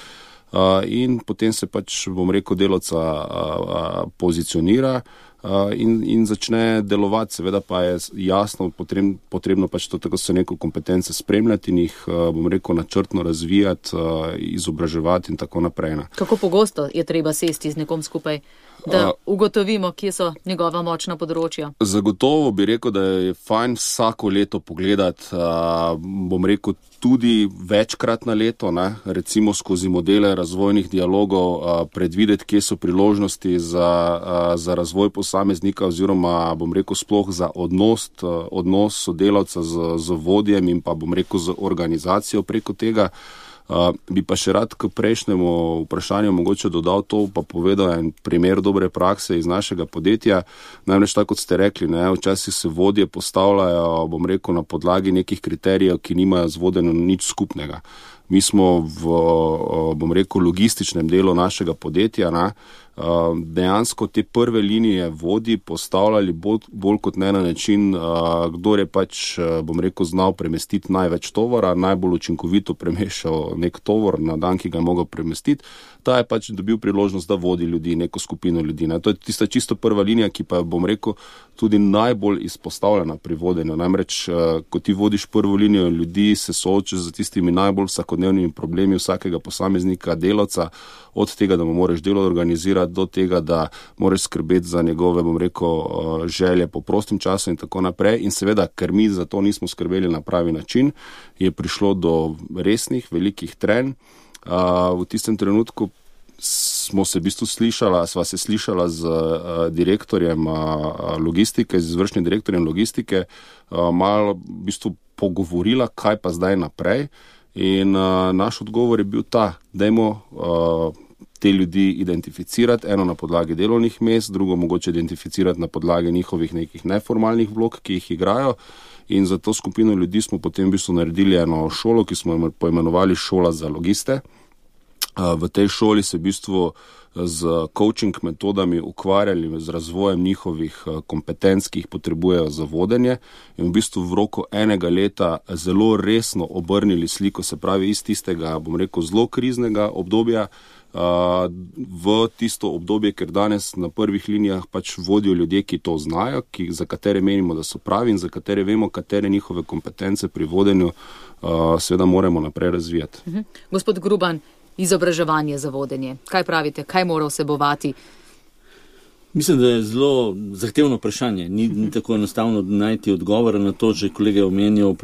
In potem se bom rekel, delavca pozicionira in začne delovati. Seveda pa je jasno potrebno to, tako so neko kompetence spremljati in jih, bom rekel, načrtno razvijati, izobraževati in tako naprej. Kako pogosto je treba sesti z nekom skupaj, da ugotovimo, kje so njegova močna področja? Zagotovo bi rekel, da je fajn vsako leto pogledati, bom rekel, tudi večkrat na leto, recimo skozi modele razvojnih dialogov, predvideti, kje so priložnosti za razvoj posameznika oziroma, bom rekel, sploh za odnos sodelavca z vodjem in pa, bom rekel, z organizacijo preko tega. Bi pa še rad k prejšnjemu vprašanju mogoče dodal to, pa povedal en primer dobre prakse iz našega podjetja. Namreč tako, kot ste rekli, včasih se vodje postavljajo, bom rekel, na podlagi nekih kriterijev, ki nimajo z vodenjem nič skupnega. Mi smo bom rekel, logističnem delu našega podjetja, dejansko te prve linije vodji postavljali bolj kot ne na način, kdor je bom rekel, znal premestiti največ tovora, najbolj učinkovito premešal nek tovor na dan, ki ga je mogel premestiti, ta je dobil priložnost, da vodi ljudi, neko skupino ljudi. To je tista čisto prva linija, ki pa je, bom rekel, tudi najbolj izpostavljena pri vodenju. Namreč, ko ti vodiš prvo linijo ljudi, se soočaš z tistimi najbolj vsakodnevnimi problemi vsakega posameznika, delavca, od tega, da mu moraš delo organizirati, do tega, da moraš skrbeti za njegove, bom rekel, želje po prostem času in tako naprej. In seveda, ker mi za to nismo skrbeli na pravi način, je prišlo do resnih, velikih trenj. V tistem trenutku sva se slišala z direktorjem logistike, z izvršnim direktorjem logistike, malo v bistvu pogovorila, kaj pa zdaj naprej. In naš odgovor je bil ta, dajmo te ljudi identificirati, eno na podlagi delovnih mest, drugo mogoče identificirati na podlagi njihovih nekih neformalnih vlog, ki jih igrajo. In za to skupino ljudi smo potem v bistvu naredili eno šolo, ki smo jo poimenovali Šola za logiste. V tej šoli se v bistvu z coaching metodami ukvarjali z razvojem njihovih kompetenc, ki jih potrebujejo za vodenje, in v bistvu v roku enega leta zelo resno obrnili sliko, se pravi iz tistega, bom rekel, zelo kriznega obdobja v tisto obdobje, ker danes na prvih linijah vodijo ljudje, ki to znajo, za katere menimo, da so pravi in za katere vemo, katere njihove kompetence pri vodenju seveda moramo naprej razvijati. Gospod Gruban, izobraževanje za vodenje. Kaj pravite, kaj mora vsebovati? Mislim, da je zelo zahtevno vprašanje. Ni tako enostavno najti odgovor na to, že kolega je omenjal,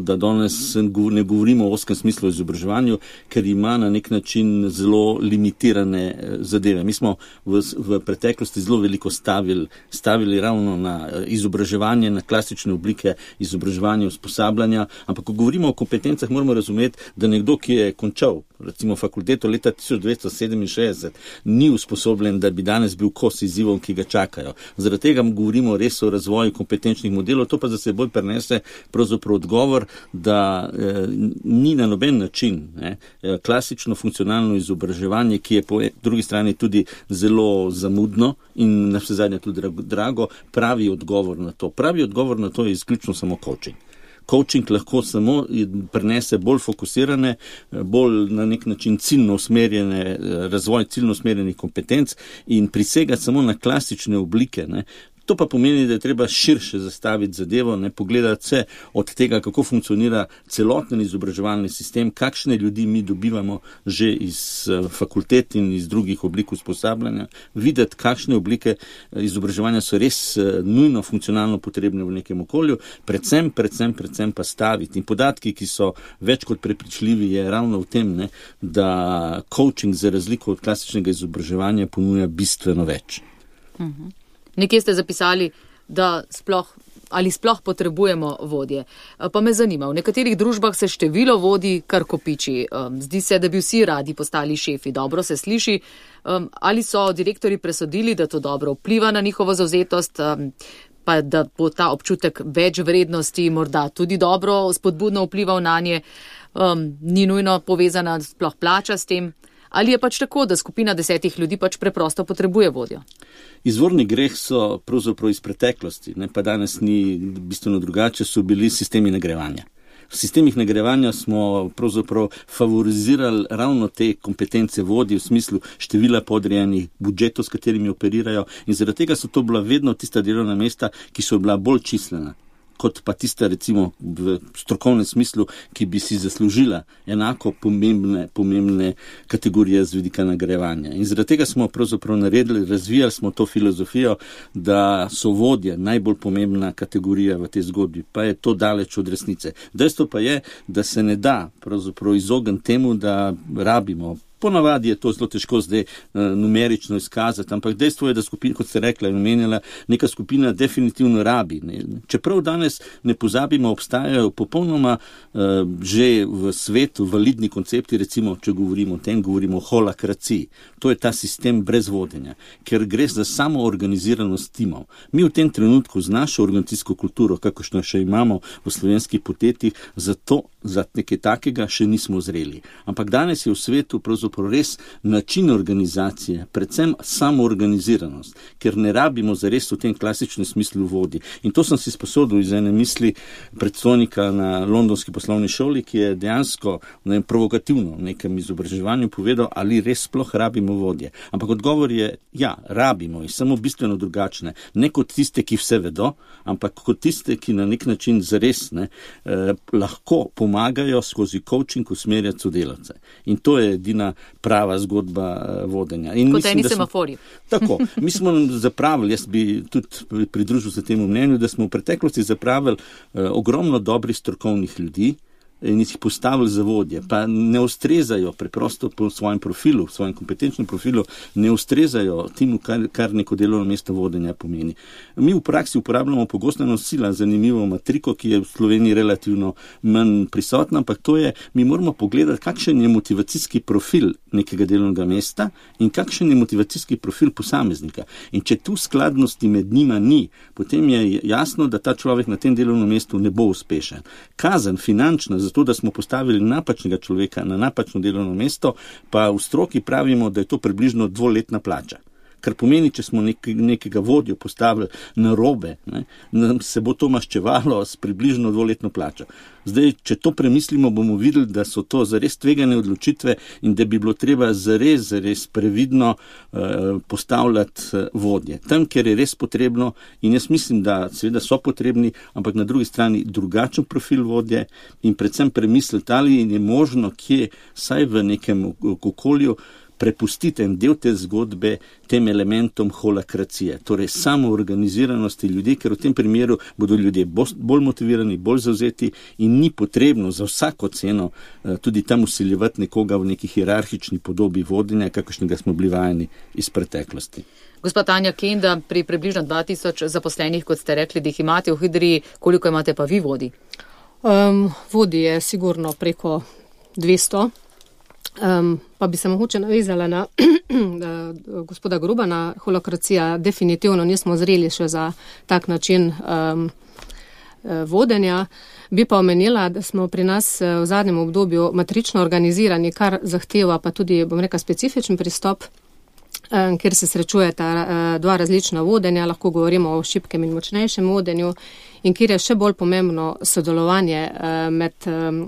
da danes ne govorimo o oskem smislu o izobraževanju, ker ima na nek način zelo limitirane zadeve. Mi smo v preteklosti zelo veliko stavili ravno na izobraževanje, na klasične oblike izobraževanja, usposabljanja, ampak ko govorimo o kompetencah, moramo razumeti, da nekdo, ki je končal recimo fakulteto leta 1967, ni usposobljen, da bi danes bil kos izzivom, ki ga čakajo. Zaradi tega govorimo res o razvoju kompetenčnih modelov, to pa za seboj prenese pravzaprav odgovor, da ni na noben način klasično funkcionalno izobraževanje, ki je po drugi strani tudi zelo zamudno in na vse zadnje tudi drago, pravi odgovor na to. Pravi odgovor na to je izključno samo coaching. Coaching lahko samo prenese bolj fokusirane, bolj na nek način ciljno usmerjene, razvoj ciljno usmerjenih kompetenc in prisega samo na klasične oblike. To pa pomeni, da je treba širše zastaviti zadevo, ne pogledati se od tega, kako funkcionira celoten izobraževalni sistem, kakšne ljudi mi dobivamo že iz fakultet in iz drugih oblik usposabljanja, videti, kakšne oblike izobraževanja so res nujno funkcionalno potrebne v nekem okolju, predvsem pa staviti. In podatki, ki so več kot prepričljivi, je ravno v tem, ne, da coaching za razliko od klasičnega izobraževanja ponuja bistveno več. Nekje ste zapisali, da sploh potrebujemo vodje. Pa me zanima, v nekaterih družbah se število vodij kar kopiči. Zdi se, da bi vsi radi postali šefi. Dobro se sliši. Ali so direktorji presodili, da to dobro vpliva na njihovo zavzetost, pa da bo ta občutek več vrednosti morda tudi dobro spodbudno vplival na nje, ni nujno povezana sploh plača s tem? Ali je pač tako, da skupina 10 ljudi pač preprosto potrebuje vodjo? Izvorni greh so pravzaprav iz preteklosti, ne, pa danes ni bistveno drugače, so bili sistemi nagrajevanja. V sistemih nagrajevanja smo pravzaprav favorizirali ravno te kompetence vodij v smislu števila podrejenih, budžetov, s katerimi operirajo, in zaradi tega so to bila vedno tista delovna mesta, ki so bila bolj čislena kot pa tista, recimo, v strokovnem smislu, ki bi si zaslužila enako pomembne kategorije z vidika nagrajevanja. In zaradi tega smo pravzaprav razvijali smo to filozofijo, da so vodje najbolj pomembna kategorija v tej zgodbi, pa je to daleč od resnice. Dejstvo pa je, da se ne da pravzaprav izogniti temu, da rabimo. Ponavadi je to zelo težko zdaj numerično izkazati, ampak dejstvo je, da skupina, kot ste rekla in omenjala, neka skupina definitivno rabi. Čeprav danes ne pozabimo, obstajajo popolnoma že v svetu validni koncepti, recimo, če govorimo o tem, govorimo o holakraciji. To je ta sistem brez vodenja, ker gre za samo organiziranost timov. Mi v tem trenutku z našo organizacijsko kulturo, kakošno še imamo v slovenskih podjetjih, za nekaj takega še nismo zreli. Ampak danes je v svetu res način organizacije, predvsem samoorganiziranost, ker ne rabimo zares v tem klasičnem smislu vodji. In to sem si sposodil iz ene misli predstojnika na londonski poslovni šoli, ki je dejansko provokativno v nekem izobraževanju povedal, ali res sploh rabimo vodje. Ampak odgovor je, ja, rabimo jih, samo bistveno drugačne. Ne kot tiste, ki vse vedo, ampak kot tiste, ki na nek način zares lahko pomagajo skozi coaching usmerjati sodelavce. In to je edina prava zgodba vodenja. In kot eni semafori. Tako, mi smo zapravili, jaz bi tudi pridružil se temu mnenju, da smo v preteklosti zapravili ogromno dobrih strokovnih ljudi in jih postavili za vodje, pa ne ustrezajo preprosto po svojem profilu, svojem kompetenčnem profilu, ne ustrezajo temu, kar neko delovno mesto vodenja pomeni. Mi v praksi uporabljamo pogosto nosila, zanimivo matriko, ki je v Sloveniji relativno manj prisotna, ampak to je, mi moramo pogledati, kakšen je motivacijski profil nekega delovnega mesta in kakšen je motivacijski profil posameznika. In če tu skladnosti med njima ni, potem je jasno, da ta človek na tem delovnem mestu ne bo uspešen. Kazen finančna, zato da smo postavili napačnega človeka na napačno delovno mesto, pa v stroki pravimo, da je to približno 2-letna plača. Kar pomeni, če smo nekega vodjo postavili na robe, se bo to maščevalo s približno 2-letno plačo. Zdaj, če to premislimo, bomo videli, da so to zares tvegane odločitve in da bi bilo treba zares previdno postavljati vodje. Tam, kjer je res potrebno, in jaz mislim, da seveda so potrebni, ampak na drugi strani drugačen profil vodje in predvsem premisliti, ali je možno kje, saj v nekem okolju, prepustite en del te zgodbe tem elementom holakracije, torej samoorganiziranosti ljudi, ker v tem primeru bodo ljudje bolj motivirani, bolj zavzeti in ni potrebno za vsako ceno tudi tam vsiljevati nekoga v neki hierarhični podobi vodenja, kakršnega smo bili vajeni iz preteklosti. Gospa Tanja Kenda, pri približno 2000 zaposlenih, kot ste rekli, da jih imate v Hidriji, koliko imate pa vi vodij? Vodij je sigurno preko 200. Pa bi se mogoče navezala na gospoda Grubana, holokracija definitivno nismo zreli še za tak način vodenja. Bi pa omenila, da smo pri nas v zadnjem obdobju matrično organizirani, kar zahteva pa tudi, bom rekla, specifičen pristop. kjer se srečujeta dva različna vodenja, lahko govorimo o šibkem in močnejšem vodenju, in kjer je še bolj pomembno sodelovanje med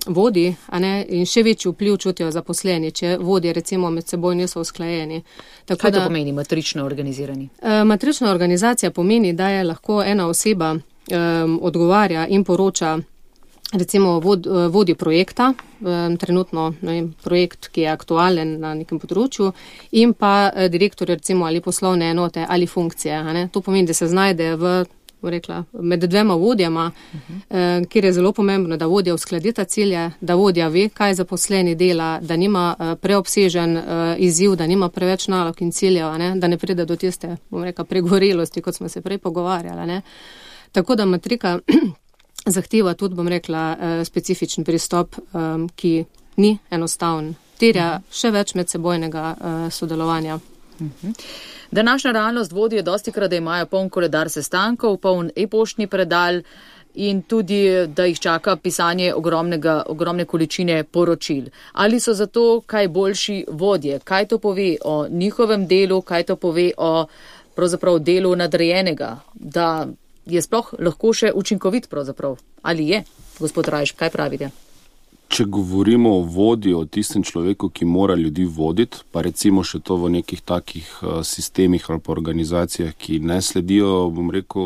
vodji, in še večji vpliv čutijo zaposleni, če vodje recimo med seboj niso usklajeni. Kaj to pomeni matrično organizirani? Matrična organizacija pomeni, da je lahko ena oseba odgovarja in poroča recimo vodji projekta, trenutno projekt, ki je aktualen na nekem področju, in pa direktor recimo ali poslovne enote ali funkcije. To pomeni, da se znajde med dvema vodjama, kjer je zelo pomembno, da vodja uskladita cilje, da vodja ve, kaj zaposleni dela, da nima preobsežen izziv, da nima preveč nalog in ciljev, da ne pride do tiste, pregorelosti, kot smo se prej pogovarjali. Tako da matrika zahteva tudi, specifičen pristop, ki ni enostaven. Terja še več medsebojnega sodelovanja. Današnja realnost vodijo dostikrat, da imajo poln koledar sestankov, poln e-poštni predal in tudi, da jih čaka pisanje ogromne količine poročil. Ali so zato kaj boljši vodje? Kaj to pove o njihovem delu, kaj to pove o pravzaprav delu nadrejenega, da je sploh lahko še učinkovit pravzaprav? Ali je? Gospod Rajš, kaj pravite? Če govorimo o vodji, o tistem človeku, ki mora ljudi voditi, pa recimo še to v nekih takih sistemih ali pa organizacijah, ki ne sledijo,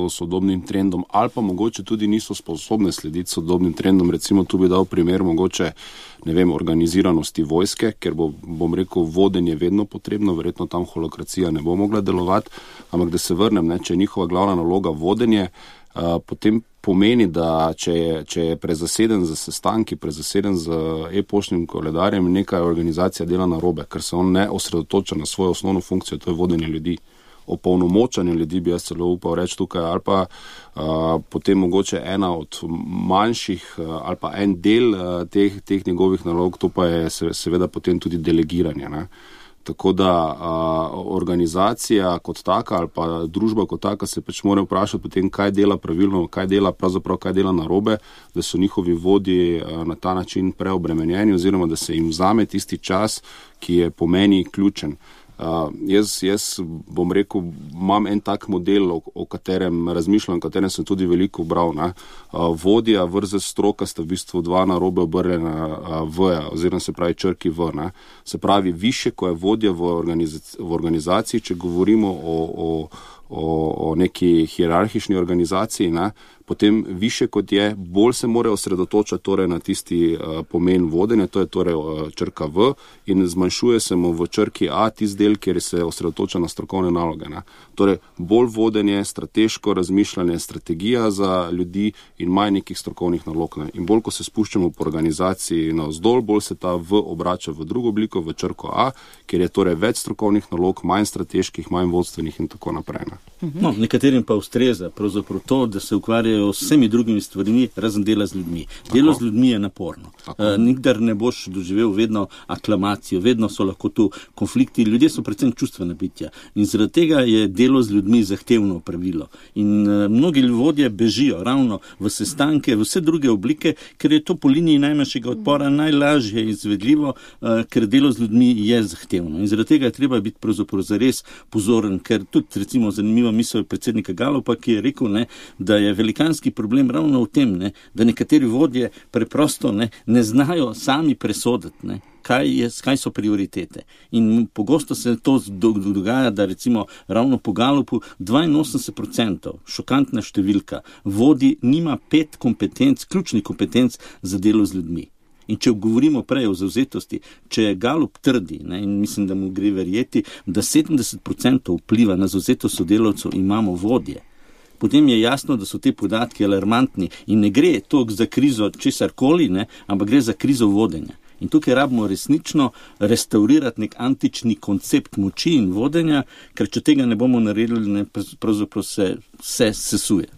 sodobnim trendom, ali pa mogoče tudi niso sposobne slediti sodobnim trendom, recimo tu bi dal primer mogoče, organiziranosti vojske, ker vodenje vedno potrebno, verjetno tam holokracija ne bo mogla delovati, ampak da se vrnem, če je njihova glavna naloga vodenje, potem pomeni, da če je prezaseden z sestanki, prezaseden z e-poštnim koledarjem, neka organizacija dela narobe, ker se on ne osredotoča na svojo osnovno funkcijo, to je vodenje ljudi. Opolnomočanje ljudi bi jaz celo upal reči tukaj, ali pa potem mogoče ena od manjših ali pa en del teh njegovih nalog, to pa je seveda potem tudi delegiranje. Tako da organizacija kot taka ali pa družba kot taka se pač mora vprašati potem, kaj dela pravilno, kaj dela narobe, da so njihovi vodji na ta način preobremenjeni oziroma da se jim vzame tisti čas, ki je po meni ključen. Jaz bom rekel, imam en tak model, o katerem razmišljam, o katerem sem tudi veliko bral. Vodja versus stroka sta v bistvu dva narobe obrnjena v-ja, oziroma se pravi črki v. Se pravi, više, ko je vodja v organizaciji, če govorimo o neki hierarhični organizaciji, potem više kot je, bolj se mora osredotočati torej na tisti pomen vodenja, to je torej črka V, in zmanjšuje se mu v črki A tisti del, kjer se osredotoča na strokovne naloge. Torej, bolj vodenje, strateško razmišljanje, strategija za ljudi in manj nekih strokovnih nalog. In bolj, ko se spuščamo po organizaciji navzdol, bolj se ta V obrača v drugo obliko, v črko A, kjer je torej več strokovnih nalog, manj strateških, manj vodstvenih in tako naprej. Nekaterim pa ustreza pravzaprav to, da se ukvarjajo s vsemi drugimi stvarmi, razen dela z ljudmi. Delo z ljudmi je naporno. Nikdar ne boš doživel vedno aklamacijo, vedno so lahko tu konflikti. Ljudje so predvsem čustvena bitja in zaradi tega je delo z ljudmi zahtevno pravilo. In mnogi vodje bežijo ravno v sestanke, v vse druge oblike, ker je to po liniji najmanjšega odpora najlažje izvedljivo, ker delo z ljudmi je zahtevno. In zaradi tega je treba biti pravzaprav zares pozoren, ker tudi recimo zanimiva misel predsednika Galupa, ki je rekel, da je velikanski problem ravno v tem, da nekateri vodje preprosto ne znajo sami presoditi, kaj so prioritete. In pogosto se to dogaja, da recimo ravno po Galupu 82%, šokantna številka, vodji nima 5 kompetenc, ključnih kompetenc za delo z ljudmi. In če govorimo prej o zavzetosti, če Galup trdi, in mislim, da mu gre verjeti, da 70% vpliva na zavzetost sodelavcev imamo vodje, potem je jasno, da so te podatki alarmantni in ne gre toliko za krizo česarkoli, ampak gre za krizo vodenja. In tukaj rabimo resnično restaurirati nek antični koncept moči in vodenja, ker če tega ne bomo naredili, pravzaprav se sesuje.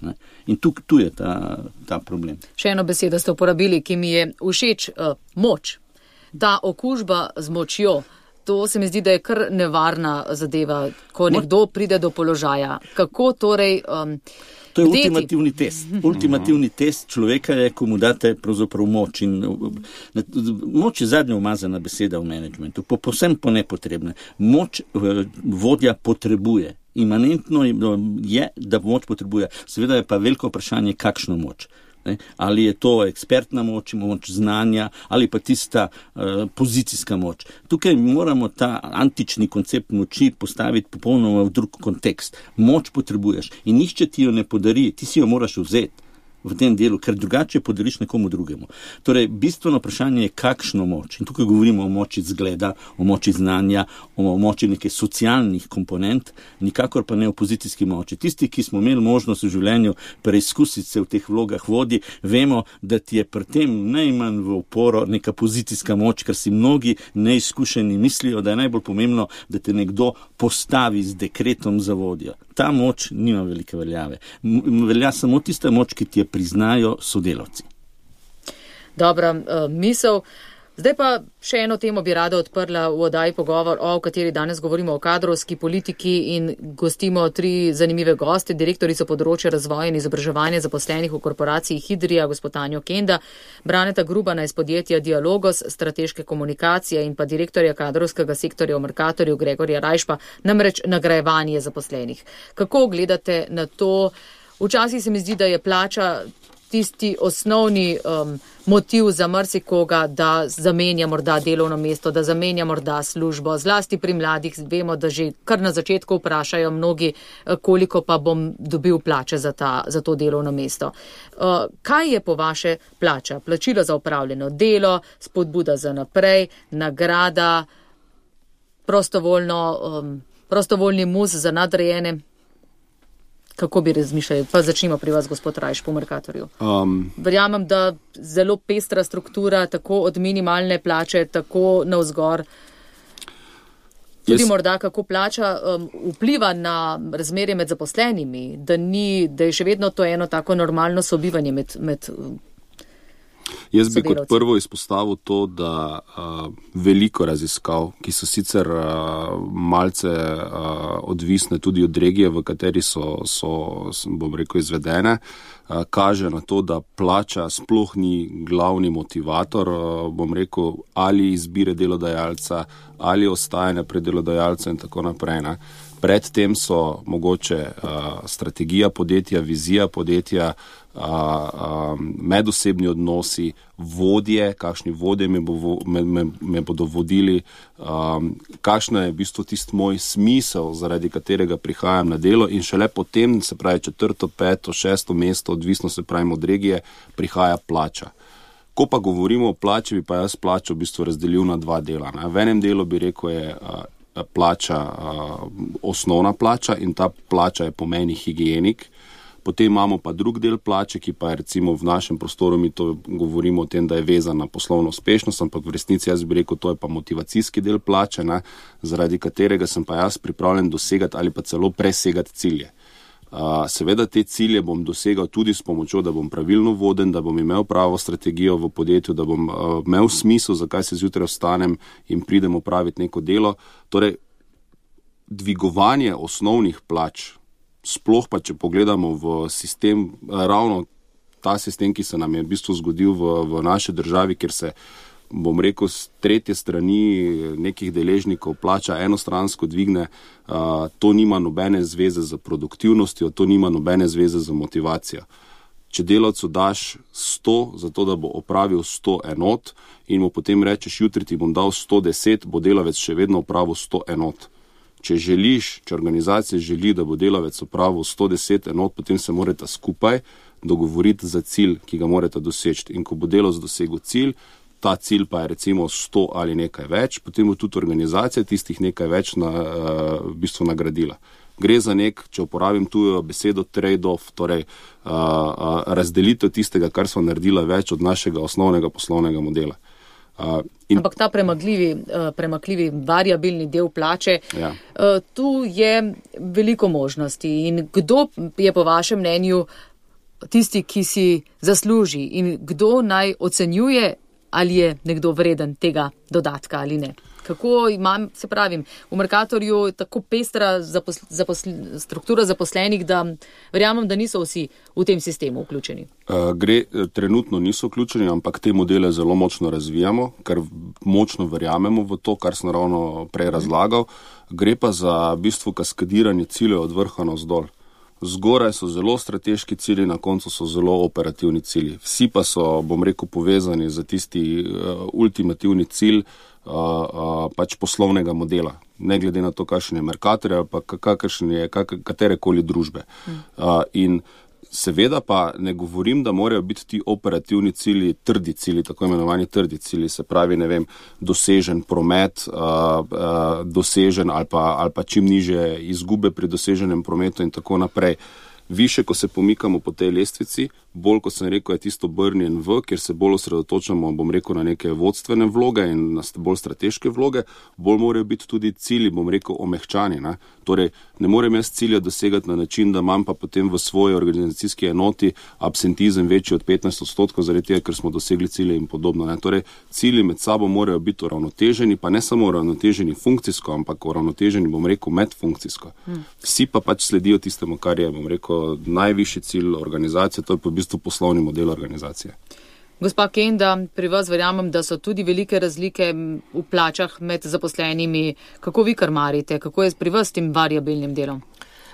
In tu je ta problem. Še eno besedo ste uporabili, ki mi je všeč, moč. Ta okužba z močjo, to se mi zdi, da je kar nevarna zadeva, ko nekdo pride do položaja. Kako torej To je ultimativni test. Ultimativni test človeka je, ko mu date pravzaprav moč. In moč je zadnja umazana beseda v menedžmentu, povsem po nepotrebne. Moč vodja potrebuje. Imanentno je, da moč potrebuje. Seveda je pa veliko vprašanje, kakšno moč. Ali je to ekspertna moč, moč znanja, ali pa tista pozicijska moč. Tukaj moramo ta antični koncept moči postaviti popolnoma v drug kontekst. Moč potrebuješ in nihče ti jo ne podari, ti si jo moraš vzeti v tem delu, ker drugače podariš nekomu drugemu. Torej, bistveno vprašanje je, kakšno moč. In tukaj govorimo o moči zgleda, o moči znanja, o moči nekaj socialnih komponent, nikakor pa ne o pozicijski moči. Tisti, ki smo imeli možnost v življenju preizkusiti se v teh vlogah vodi, vemo, da ti je pri tem najmanj v oporo neka pozicijska moč, ker si mnogi neizkušeni mislijo, da je najbolj pomembno, da te nekdo postavi z dekretom za vodjo. Ta moč nima velike veljave. Velja samo tista moč, ki ti je priznajo sodelavci. Dobra misel. Zdaj pa še eno temo bi rada odprla v oddaji Pogovor, o kateri danes govorimo o kadrovski politiki in gostimo 3 zanimive goste, direktorico področja razvoja in izobraževanja zaposlenih v korporaciji Hidrija, gospod Tanjo Kenda, Braneta Grubana iz podjetja Dialogos, strateške komunikacije in pa direktorja kadrovskega sektorja v Mercatorju Gregorja Rajšpa, namreč nagrajevanje zaposlenih. Kako gledate na to? Včasih se mi zdi, da je plača tisti osnovni motiv za marsikoga, da zamenja morda delovno mesto, da zamenja morda službo. Zlasti pri mladih vemo, da že kar na začetku vprašajo mnogi, koliko pa bom dobil plače za to delovno mesto. Kaj je po vaše plača? Plačilo za opravljeno delo, spodbuda za naprej, nagrada, prostovoljni mus za nadrejene? Kako bi razmišljali? Pa začnimo pri vas, gospod Rajš, po Mercatorju. Verjamem, da zelo pestra struktura, tako od minimalne plače, tako navzgor. Tudi morda, kako plača vpliva na razmerje med zaposlenimi, da je še vedno to eno tako normalno sobivanje med Jaz bi kot prvo izpostavil to, da veliko raziskav, ki so sicer malce odvisne tudi od regije, v kateri so bom rekel, izvedene, kaže na to, da plača sploh ni glavni motivator, bom rekel, ali izbire delodajalca, ali ostajanja pri delodajalcu in tako naprej. Ne. Predtem so mogoče strategija podjetja, vizija podjetja, medosebni odnosi, vodje, kakšni vodje me bodo vodili, kakšno je v bistvu tisti moj smisel, zaradi katerega prihajam na delo in šele potem, se pravi 4., 5., 6. mesto, odvisno se pravi od regije, prihaja plača. Ko pa govorimo o plači, bi pa jaz plačo v bistvu razdelil na 2 dela. Ne. V enem delu bi rekel je plača, osnovna plača in ta plača je pomeni higienik. Potem imamo pa drug del plače, ki pa je recimo v našem prostoru, mi to govorimo o tem, da je vezan na poslovno uspešnost, ampak v resnici jaz bi rekel, to je pa motivacijski del plače, ne, zaradi katerega sem pa jaz pripravljen dosegati ali pa celo presegati cilje. Seveda te cilje bom dosegal tudi s pomočjo, da bom pravilno voden, da bom imel pravo strategijo v podjetju, da bom imel smisel, zakaj se zjutraj vstanem in pridem opraviti neko delo. Torej, dvigovanje osnovnih plač, sploh pa, če pogledamo v sistem, ravno ta sistem, ki se nam je v bistvu zgodil v naši državi, kjer se, bom rekel, z tretje strani nekih deležnikov plača enostransko dvigne, to nima nobene zveze z produktivnostjo, to nima nobene zveze z motivacijo. Če delavcu daš 100, zato da bo opravil 100 enot in mu potem rečeš, jutri ti bom dal 110, bo delavec še vedno opravil 100 enot. Če organizacija želi, da bo delavec opravil 110 enot, potem se morata skupaj dogovoriti za cilj, ki ga morata doseči. In ko bo delavec dosegel cilj, ta cilj pa je recimo 100 ali nekaj več, potem bo tudi organizacija tistih nekaj več v bistvu nagradila. Gre za če uporabim tujo besedo, trade-off, torej razdelitev tistega, kar smo naredila več od našega osnovnega poslovnega modela. Ampak ta premakljivi variabilni del plače, ja. Tu je veliko možnosti. In kdo je po vašem mnenju tisti, ki si zasluži in kdo naj ocenjuje, ali je nekdo vreden tega dodatka ali ne? Kako imam, se pravim, v Mercatorju tako pestra struktura zaposlenih, da verjamem, da niso vsi v tem sistemu vključeni. Trenutno niso vključeni, ampak te modele zelo močno razvijamo, ker močno verjamemo v to, kar sem ravno prej razlagal. Gre pa za v bistvu kaskadiranje ciljev od vrha navzdol. Zgoraj so zelo strateški cilji, na koncu so zelo operativni cilji. Vsi pa so, bom rekel, povezani za tisti ultimativni cilj pač poslovnega modela. Ne glede na to, kakšen je Mercator ali pa kakšen je katerekoli družbe. In seveda pa ne govorim, da morajo biti ti operativni cilji trdi cilji, tako imenovani trdi cilji, se pravi, ne vem, dosežen promet, dosežen ali pa čim niže izgube pri doseženem prometu in tako naprej. Više, ko se pomikamo po tej lestvici, bolj, kot sem rekel, je tisto obrnjen v, kjer se bolj osredotočamo, bom rekel, na neke vodstvene vloge in na bolj strateške vloge, bolj morajo biti tudi cilji, bom rekel, omehčani. Ne? Torej, ne morem jaz cilja dosegati na način, da imam pa potem v svoji organizacijski enoti absentizem večji od 15%, zaradi tega, ker smo dosegli cilje in podobno. Ne? Torej, cilji med sabo morajo biti uravnoteženi, pa ne samo uravnoteženi funkcijsko, ampak uravnoteženi, bom rekel, medfunkcijsko. Vsi pa pač sledijo tistemu, kar je, bom rekel, najvišji cilj organizacije, to je pa v bistvu poslovni model organizacije. Gospa Kenda, pri vas verjamem, da so tudi velike razlike v plačah med zaposlenimi. Kako vi karmarite? Kako je pri vas s tem variabilnim delom?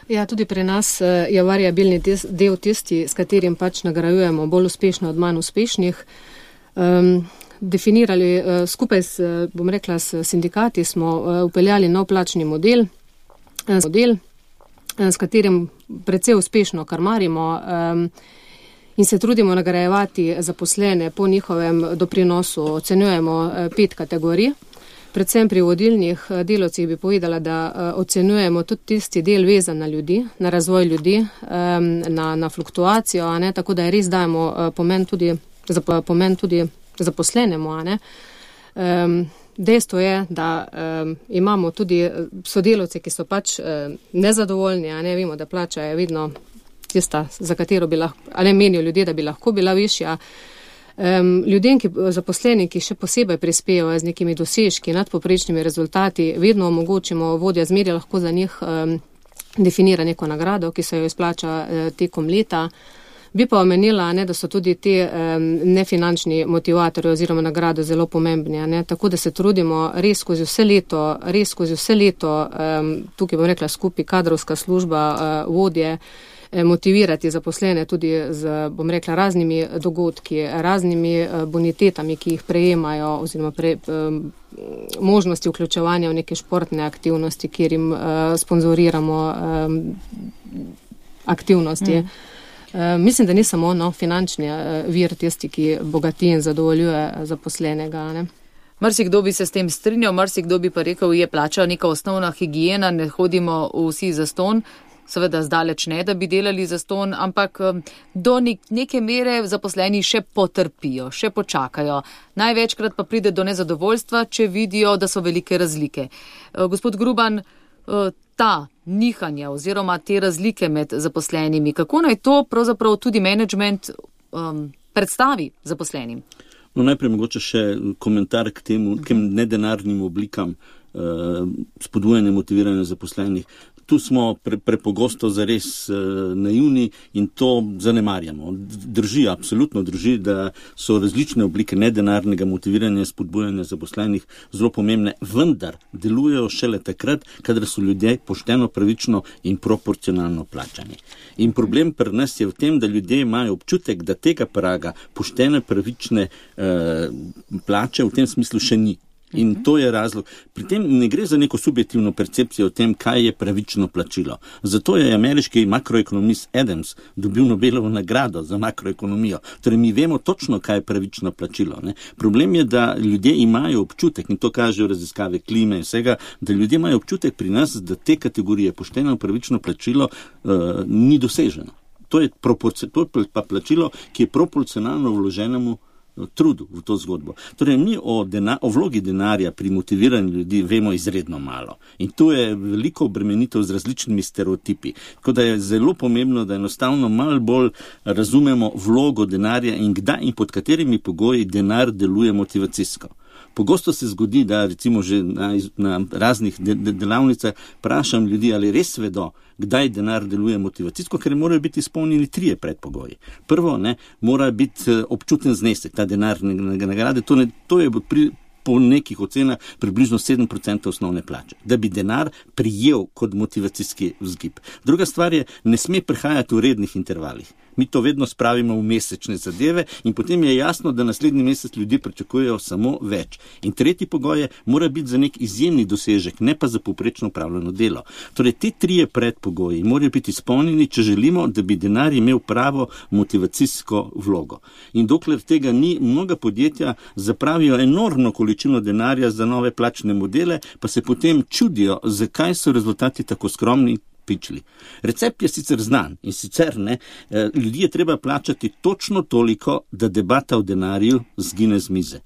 Ja, tudi pri nas je variabilni del tisti, s katerim pač nagrajujemo bolj uspešno od manj uspešnih. Definirali skupaj s sindikati smo upeljali nov plačni model, s katerim precej uspešno karmarimo in se trudimo nagrajevati zaposlene po njihovem doprinosu. Ocenjujemo 5 kategorij. Predvsem pri vodilnih delavcih bi povedala, da ocenjujemo tudi tisti del vezan na ljudi, na razvoj ljudi, na fluktuacijo, ne? Tako da res dajemo pomen tudi zaposlenemu. Dejstvo je, da imamo tudi sodelavce, ki so pač nezadovoljni, ne vemo, da plača je vedno tista, za katero bi lahko, ali menijo ljudje, da bi lahko bila višja. Ljudem, zaposleni, ki še posebej prispevajo z nekimi dosežki, nadpoprečnimi rezultati, vedno omogočimo, vodja zmerja lahko za njih definira neko nagrado, ki se jo izplača tekom leta. Bi pa omenila, da so tudi te nefinančni motivatorji oziroma nagrado zelo pomembni. Tako da se trudimo res skozi vse leto, tukaj bom rekla skupaj kadrovska služba, vodje, motivirati zaposlene tudi z, bom rekla, raznimi dogodki, raznimi bonitetami, ki jih prejemajo, oziroma možnosti vključevanja v neke športne aktivnosti, kjer jim sponzoriramo aktivnosti. Mislim, da ni samo finančni vir tisti, ki bogati in zadovoljuje zaposlenega. Ne? Marsikdo bi se s tem strinjal, marsikdo bi pa rekel, je plača neka osnovna higiena, ne hodimo vsi za ston. Seveda zdaleč ne, da bi delali za ston, ampak do neke mere zaposleni še potrpijo, še počakajo. Največkrat pa pride do nezadovoljstva, če vidijo, da so velike razlike. Gospod Gruban, ta nihanja oziroma te razlike med zaposlenimi, kako naj to pravzaprav tudi management predstavi zaposlenim? No, najprej mogoče še komentar k nedenarnim oblikam spodbujanja motiviranja zaposlenih. Tu smo prepogosto zares naivni in to zanemarjamo. Drži, absolutno drži, da so različne oblike nedenarnega motiviranja, spodbujanja zaposlenih zelo pomembne, vendar delujejo šele takrat, kadar so ljudje pošteno, pravično in proporcionalno plačani. In problem pri nas je v tem, da ljudje imajo občutek, da tega praga poštene, pravične plače v tem smislu še ni. In to je razlog. Pri tem ne gre za neko subjektivno percepcijo o tem, kaj je pravično plačilo. Zato je ameriški makroekonomist Adams dobil Nobelovo nagrado za makroekonomijo. Torej, mi vemo točno, kaj je pravično plačilo. Ne? Problem je, da ljudje imajo občutek, in to kažejo raziskave klime in vsega, da ljudje imajo občutek pri nas, da te kategorije pošteno pravično plačilo ni doseženo. To je pa plačilo, ki je proporcionalno vloženemu trudu v to zgodbo. Torej, mi o vlogi denarja pri motiviranju ljudi vemo izredno malo. In tu je veliko obremenitev z različnimi stereotipi. Tako da je zelo pomembno, da enostavno malo bolj razumemo vlogo denarja in kdaj in pod katerimi pogoji denar deluje motivacijsko. Pogosto se zgodi, da recimo že na raznih delavnicah vprašam ljudi, ali res vedo, kdaj denar deluje motivacijsko, ker morajo biti izpolnjeni 3 predpogoji. Prvo, mora biti občuten znesek, ta denar nagrade, to je po nekih ocenah približno 7% osnovne plače, da bi denar prijel kot motivacijski vzgib. Druga stvar je, ne sme prihajati v rednih intervalih. Mi to vedno spravimo v mesečne zadeve in potem je jasno, da naslednji mesec ljudje pričakujejo samo več. In tretji pogoj je, mora biti za nek izjemni dosežek, ne pa za povprečno upravljeno delo. Torej, te 3 predpogoji morajo biti izpolnjeni, če želimo, da bi denar imel pravo motivacijsko vlogo. In dokler tega ni, mnoga podjetja zapravijo enormno količino denarja za nove plačne modele, pa se potem čudijo, zakaj so rezultati tako skromni. Recept je sicer znan in sicer ljudi je treba plačati točno toliko, da debata o denarju zgine z mize.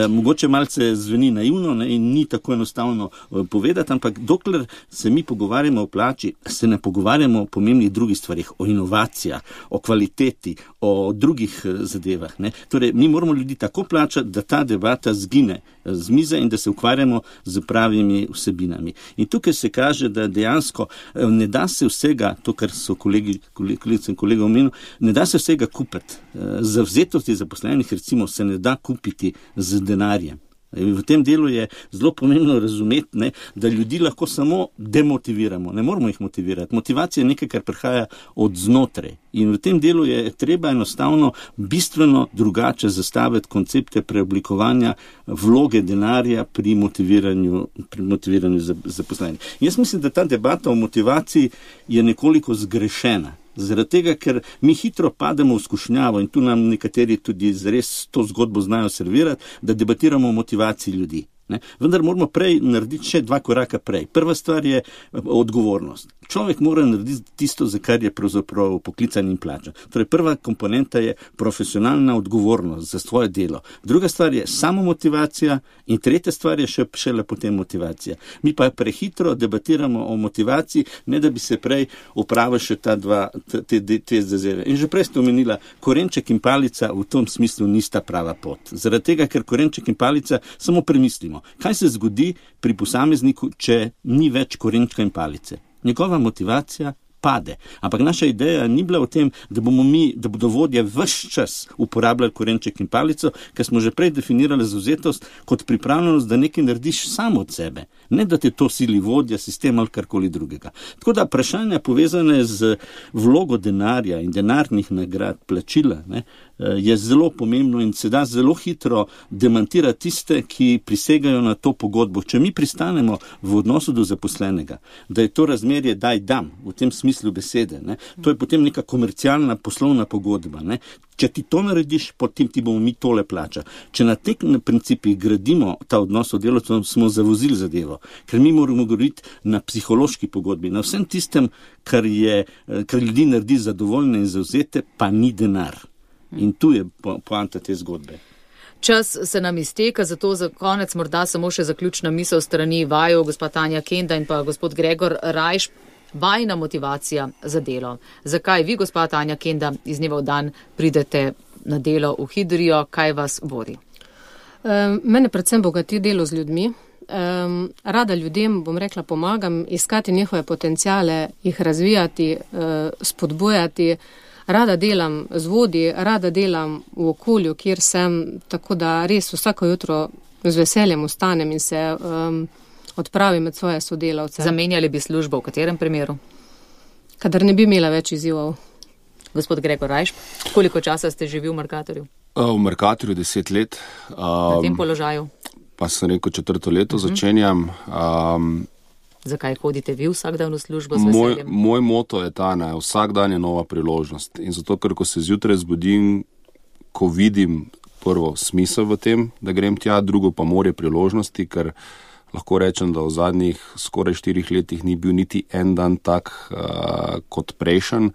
Mogoče malce zveni naivno in ni tako enostavno povedati, ampak dokler se mi pogovarjamo o plači, se ne pogovarjamo o pomembnih drugih stvarih, o inovacijah, o kvaliteti, o drugih zadevah. Torej, mi moramo ljudi tako plačati, da ta debata zgine z mize in da se ukvarjamo z pravimi vsebinami. In tukaj se kaže, da dejansko ne da se vsega, to kar so kolegice in kolegi omenili, ne da se vsega kupiti. Zavzetosti zaposlenih recimo se ne da kupiti z denarjem. V tem delu je zelo pomembno razumeti, da ljudi lahko samo demotiviramo, ne moramo jih motivirati. Motivacija je nekaj, kar prihaja od znotraj. In v tem delu je treba enostavno bistveno drugače zastaviti koncepte preoblikovanja vloge denarja pri motiviranju zaposlenih. Jaz mislim, da ta debata o motivaciji je nekoliko zgrešena. Zaradi tega, ker mi hitro pademo v skušnjavo in tu nam nekateri tudi res to zgodbo znajo servirati, da debatiramo o motivaciji ljudi. Vendar moramo prej narediti še 2 koraka prej. Prva stvar je odgovornost. Človek mora narediti tisto, za kar je pravzaprav poklican in plačan. Torej, prva komponenta je profesionalna odgovornost za svoje delo. Druga stvar je samomotivacija in tretja stvar je šele potem motivacija. Mi pa prehitro debatiramo o motivaciji, ne da bi se prej opravili še te zadeve. In že prej ste omenila, korenček in palica v tom smislu nista prava pot. Zaradi tega, ker korenček in palica samo premislimo. Kaj se zgodi pri posamezniku, če ni več korenčka in palice? Njegova motivacija pade. Ampak naša ideja ni bila v tem, da bodo vodje ves čas uporabljali korenček in palico, ker smo že prej definirali zavzetost kot pripravljenost, da nekaj narediš samo od sebe. Ne, da te to sili vodja, sistem ali karkoli drugega. Tako da vprašanja povezane z vlogo denarja in denarnih nagrad, plačila, je zelo pomembno in se da zelo hitro demantirati tiste, ki prisegajo na to pogodbo. Če mi pristanemo v odnosu do zaposlenega, da je to razmerje daj-dam, v tem smislu besede, to je potem neka komercialna poslovna pogodba. Če ti to narediš, potem ti bomo mi tole plačali. Če na teh principih gradimo ta odnos od delavcev, smo zavozili zadevo. Ker mi moramo govoriti na psihološki pogodbi, na vsem tistem, kar ljudi naredi zadovoljne in zavzete, pa ni denar. In tu je poanta te zgodbe. Čas se nam izteka, zato za konec morda samo še zaključna misel strani vaju, gospod Tanja Kenda in pa gospod Gregor Rajš. Vajna motivacija za delo. Zakaj vi, gospod Tanja Kenda, iz dneva v dan pridete na delo v Hidrijo? Kaj vas vodi? Mene predvsem bogati delo z ljudmi. Rada ljudem, bom rekla, pomagam iskati njihove potencijale, jih razvijati, spodbujati. Rada delam z vodji, rada delam v okolju, kjer sem, tako da res vsako jutro z veseljem vstanem in se odpravim med svoje sodelavce. Zamenjali bi službo v katerem primeru? Kadar ne bi imela več izzivov. Gospod Gregor Rajš, koliko časa ste živi v Mercatorju? V Mercatorju 10 let. Na tem položaju? Pa sem rekel 4. leto začenjam. Zakaj hodite vi vsak dan v službo z veseljem? Moj moto je ta, vsak dan je nova priložnost. In zato, ker ko se zjutraj zbudim, ko vidim prvo smisel v tem, da grem tja, drugo pa morje priložnosti, ker lahko rečem, da v zadnjih skoraj 4 letih ni bil niti en dan tak kot prejšen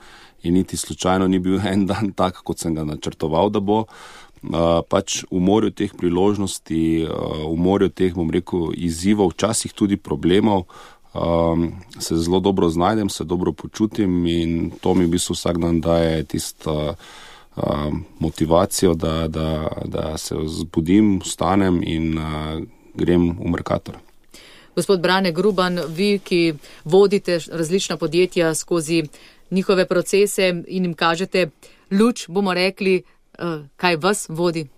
in niti slučajno ni bil en dan tak, kot sem ga načrtoval, da bo. Pač v morju teh priložnosti, v morju teh, bom rekel, izzivov, včasih tudi problemov, se zelo dobro znajdem, se dobro počutim in to mi v bistvu vsak dan daje tisto motivacijo, da se zbudim, vstanem in grem v Mercator. Gospod Brane Gruban, vi, ki vodite različna podjetja skozi njihove procese in jim kažete luč, bomo rekli, kaj vas vodi,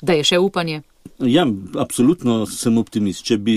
da je še upanje? Ja, absolutno sem optimist. Če bi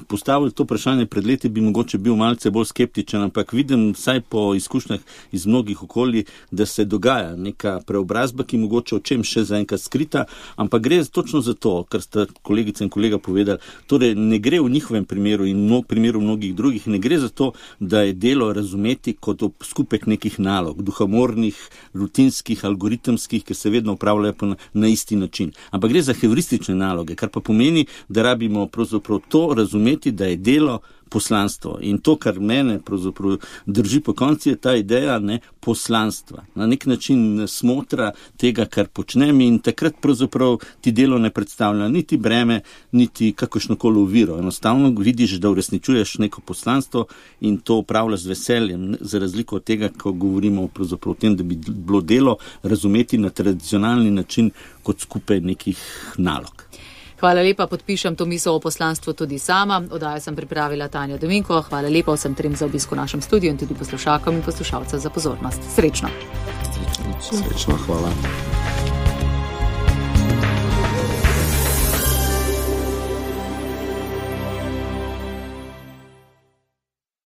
postavili to vprašanje pred leti, bi mogoče bil malce bolj skeptičen, ampak vidim vsaj po izkušnjah iz mnogih okolij, da se dogaja neka preobrazba, ki mogoče o čem še zaenkrat skrita, ampak gre točno za to, kar sta kolegica in kolega povedali. Torej, ne gre v njihovem primeru in primeru mnogih drugih, ne gre za to, da je delo razumeti kot skupek nekih nalog, duhamornih, rutinskih, algoritemskih, ki se vedno upravljajo na isti način. Ampak gre za heuristične naloge, kar pa pomeni, da rabimo pravzaprav to razumeti, da je delo poslanstvo. In to, kar mene pravzaprav drži po konci, je ta ideja poslanstva. Na nek način smotra tega, kar počnem, in takrat pravzaprav ti delo ne predstavlja niti breme, niti kakršnokoli oviro. Enostavno vidiš, da uresničuješ neko poslanstvo in to upravljaš z veseljem, za razliko od tega, ko govorimo pravzaprav o tem, da bi bilo delo razumeti na tradicionalni način kot skupaj nekih nalog. Hvala lepa, podpišem to misel o poslanstvu tudi sama. Oddajo sem pripravila Tanja Dominko. Hvala lepa vsem trem za obisk v našem studiu in tudi poslušalkam in poslušalcem za pozornost. Srečno. Srečno, hvala.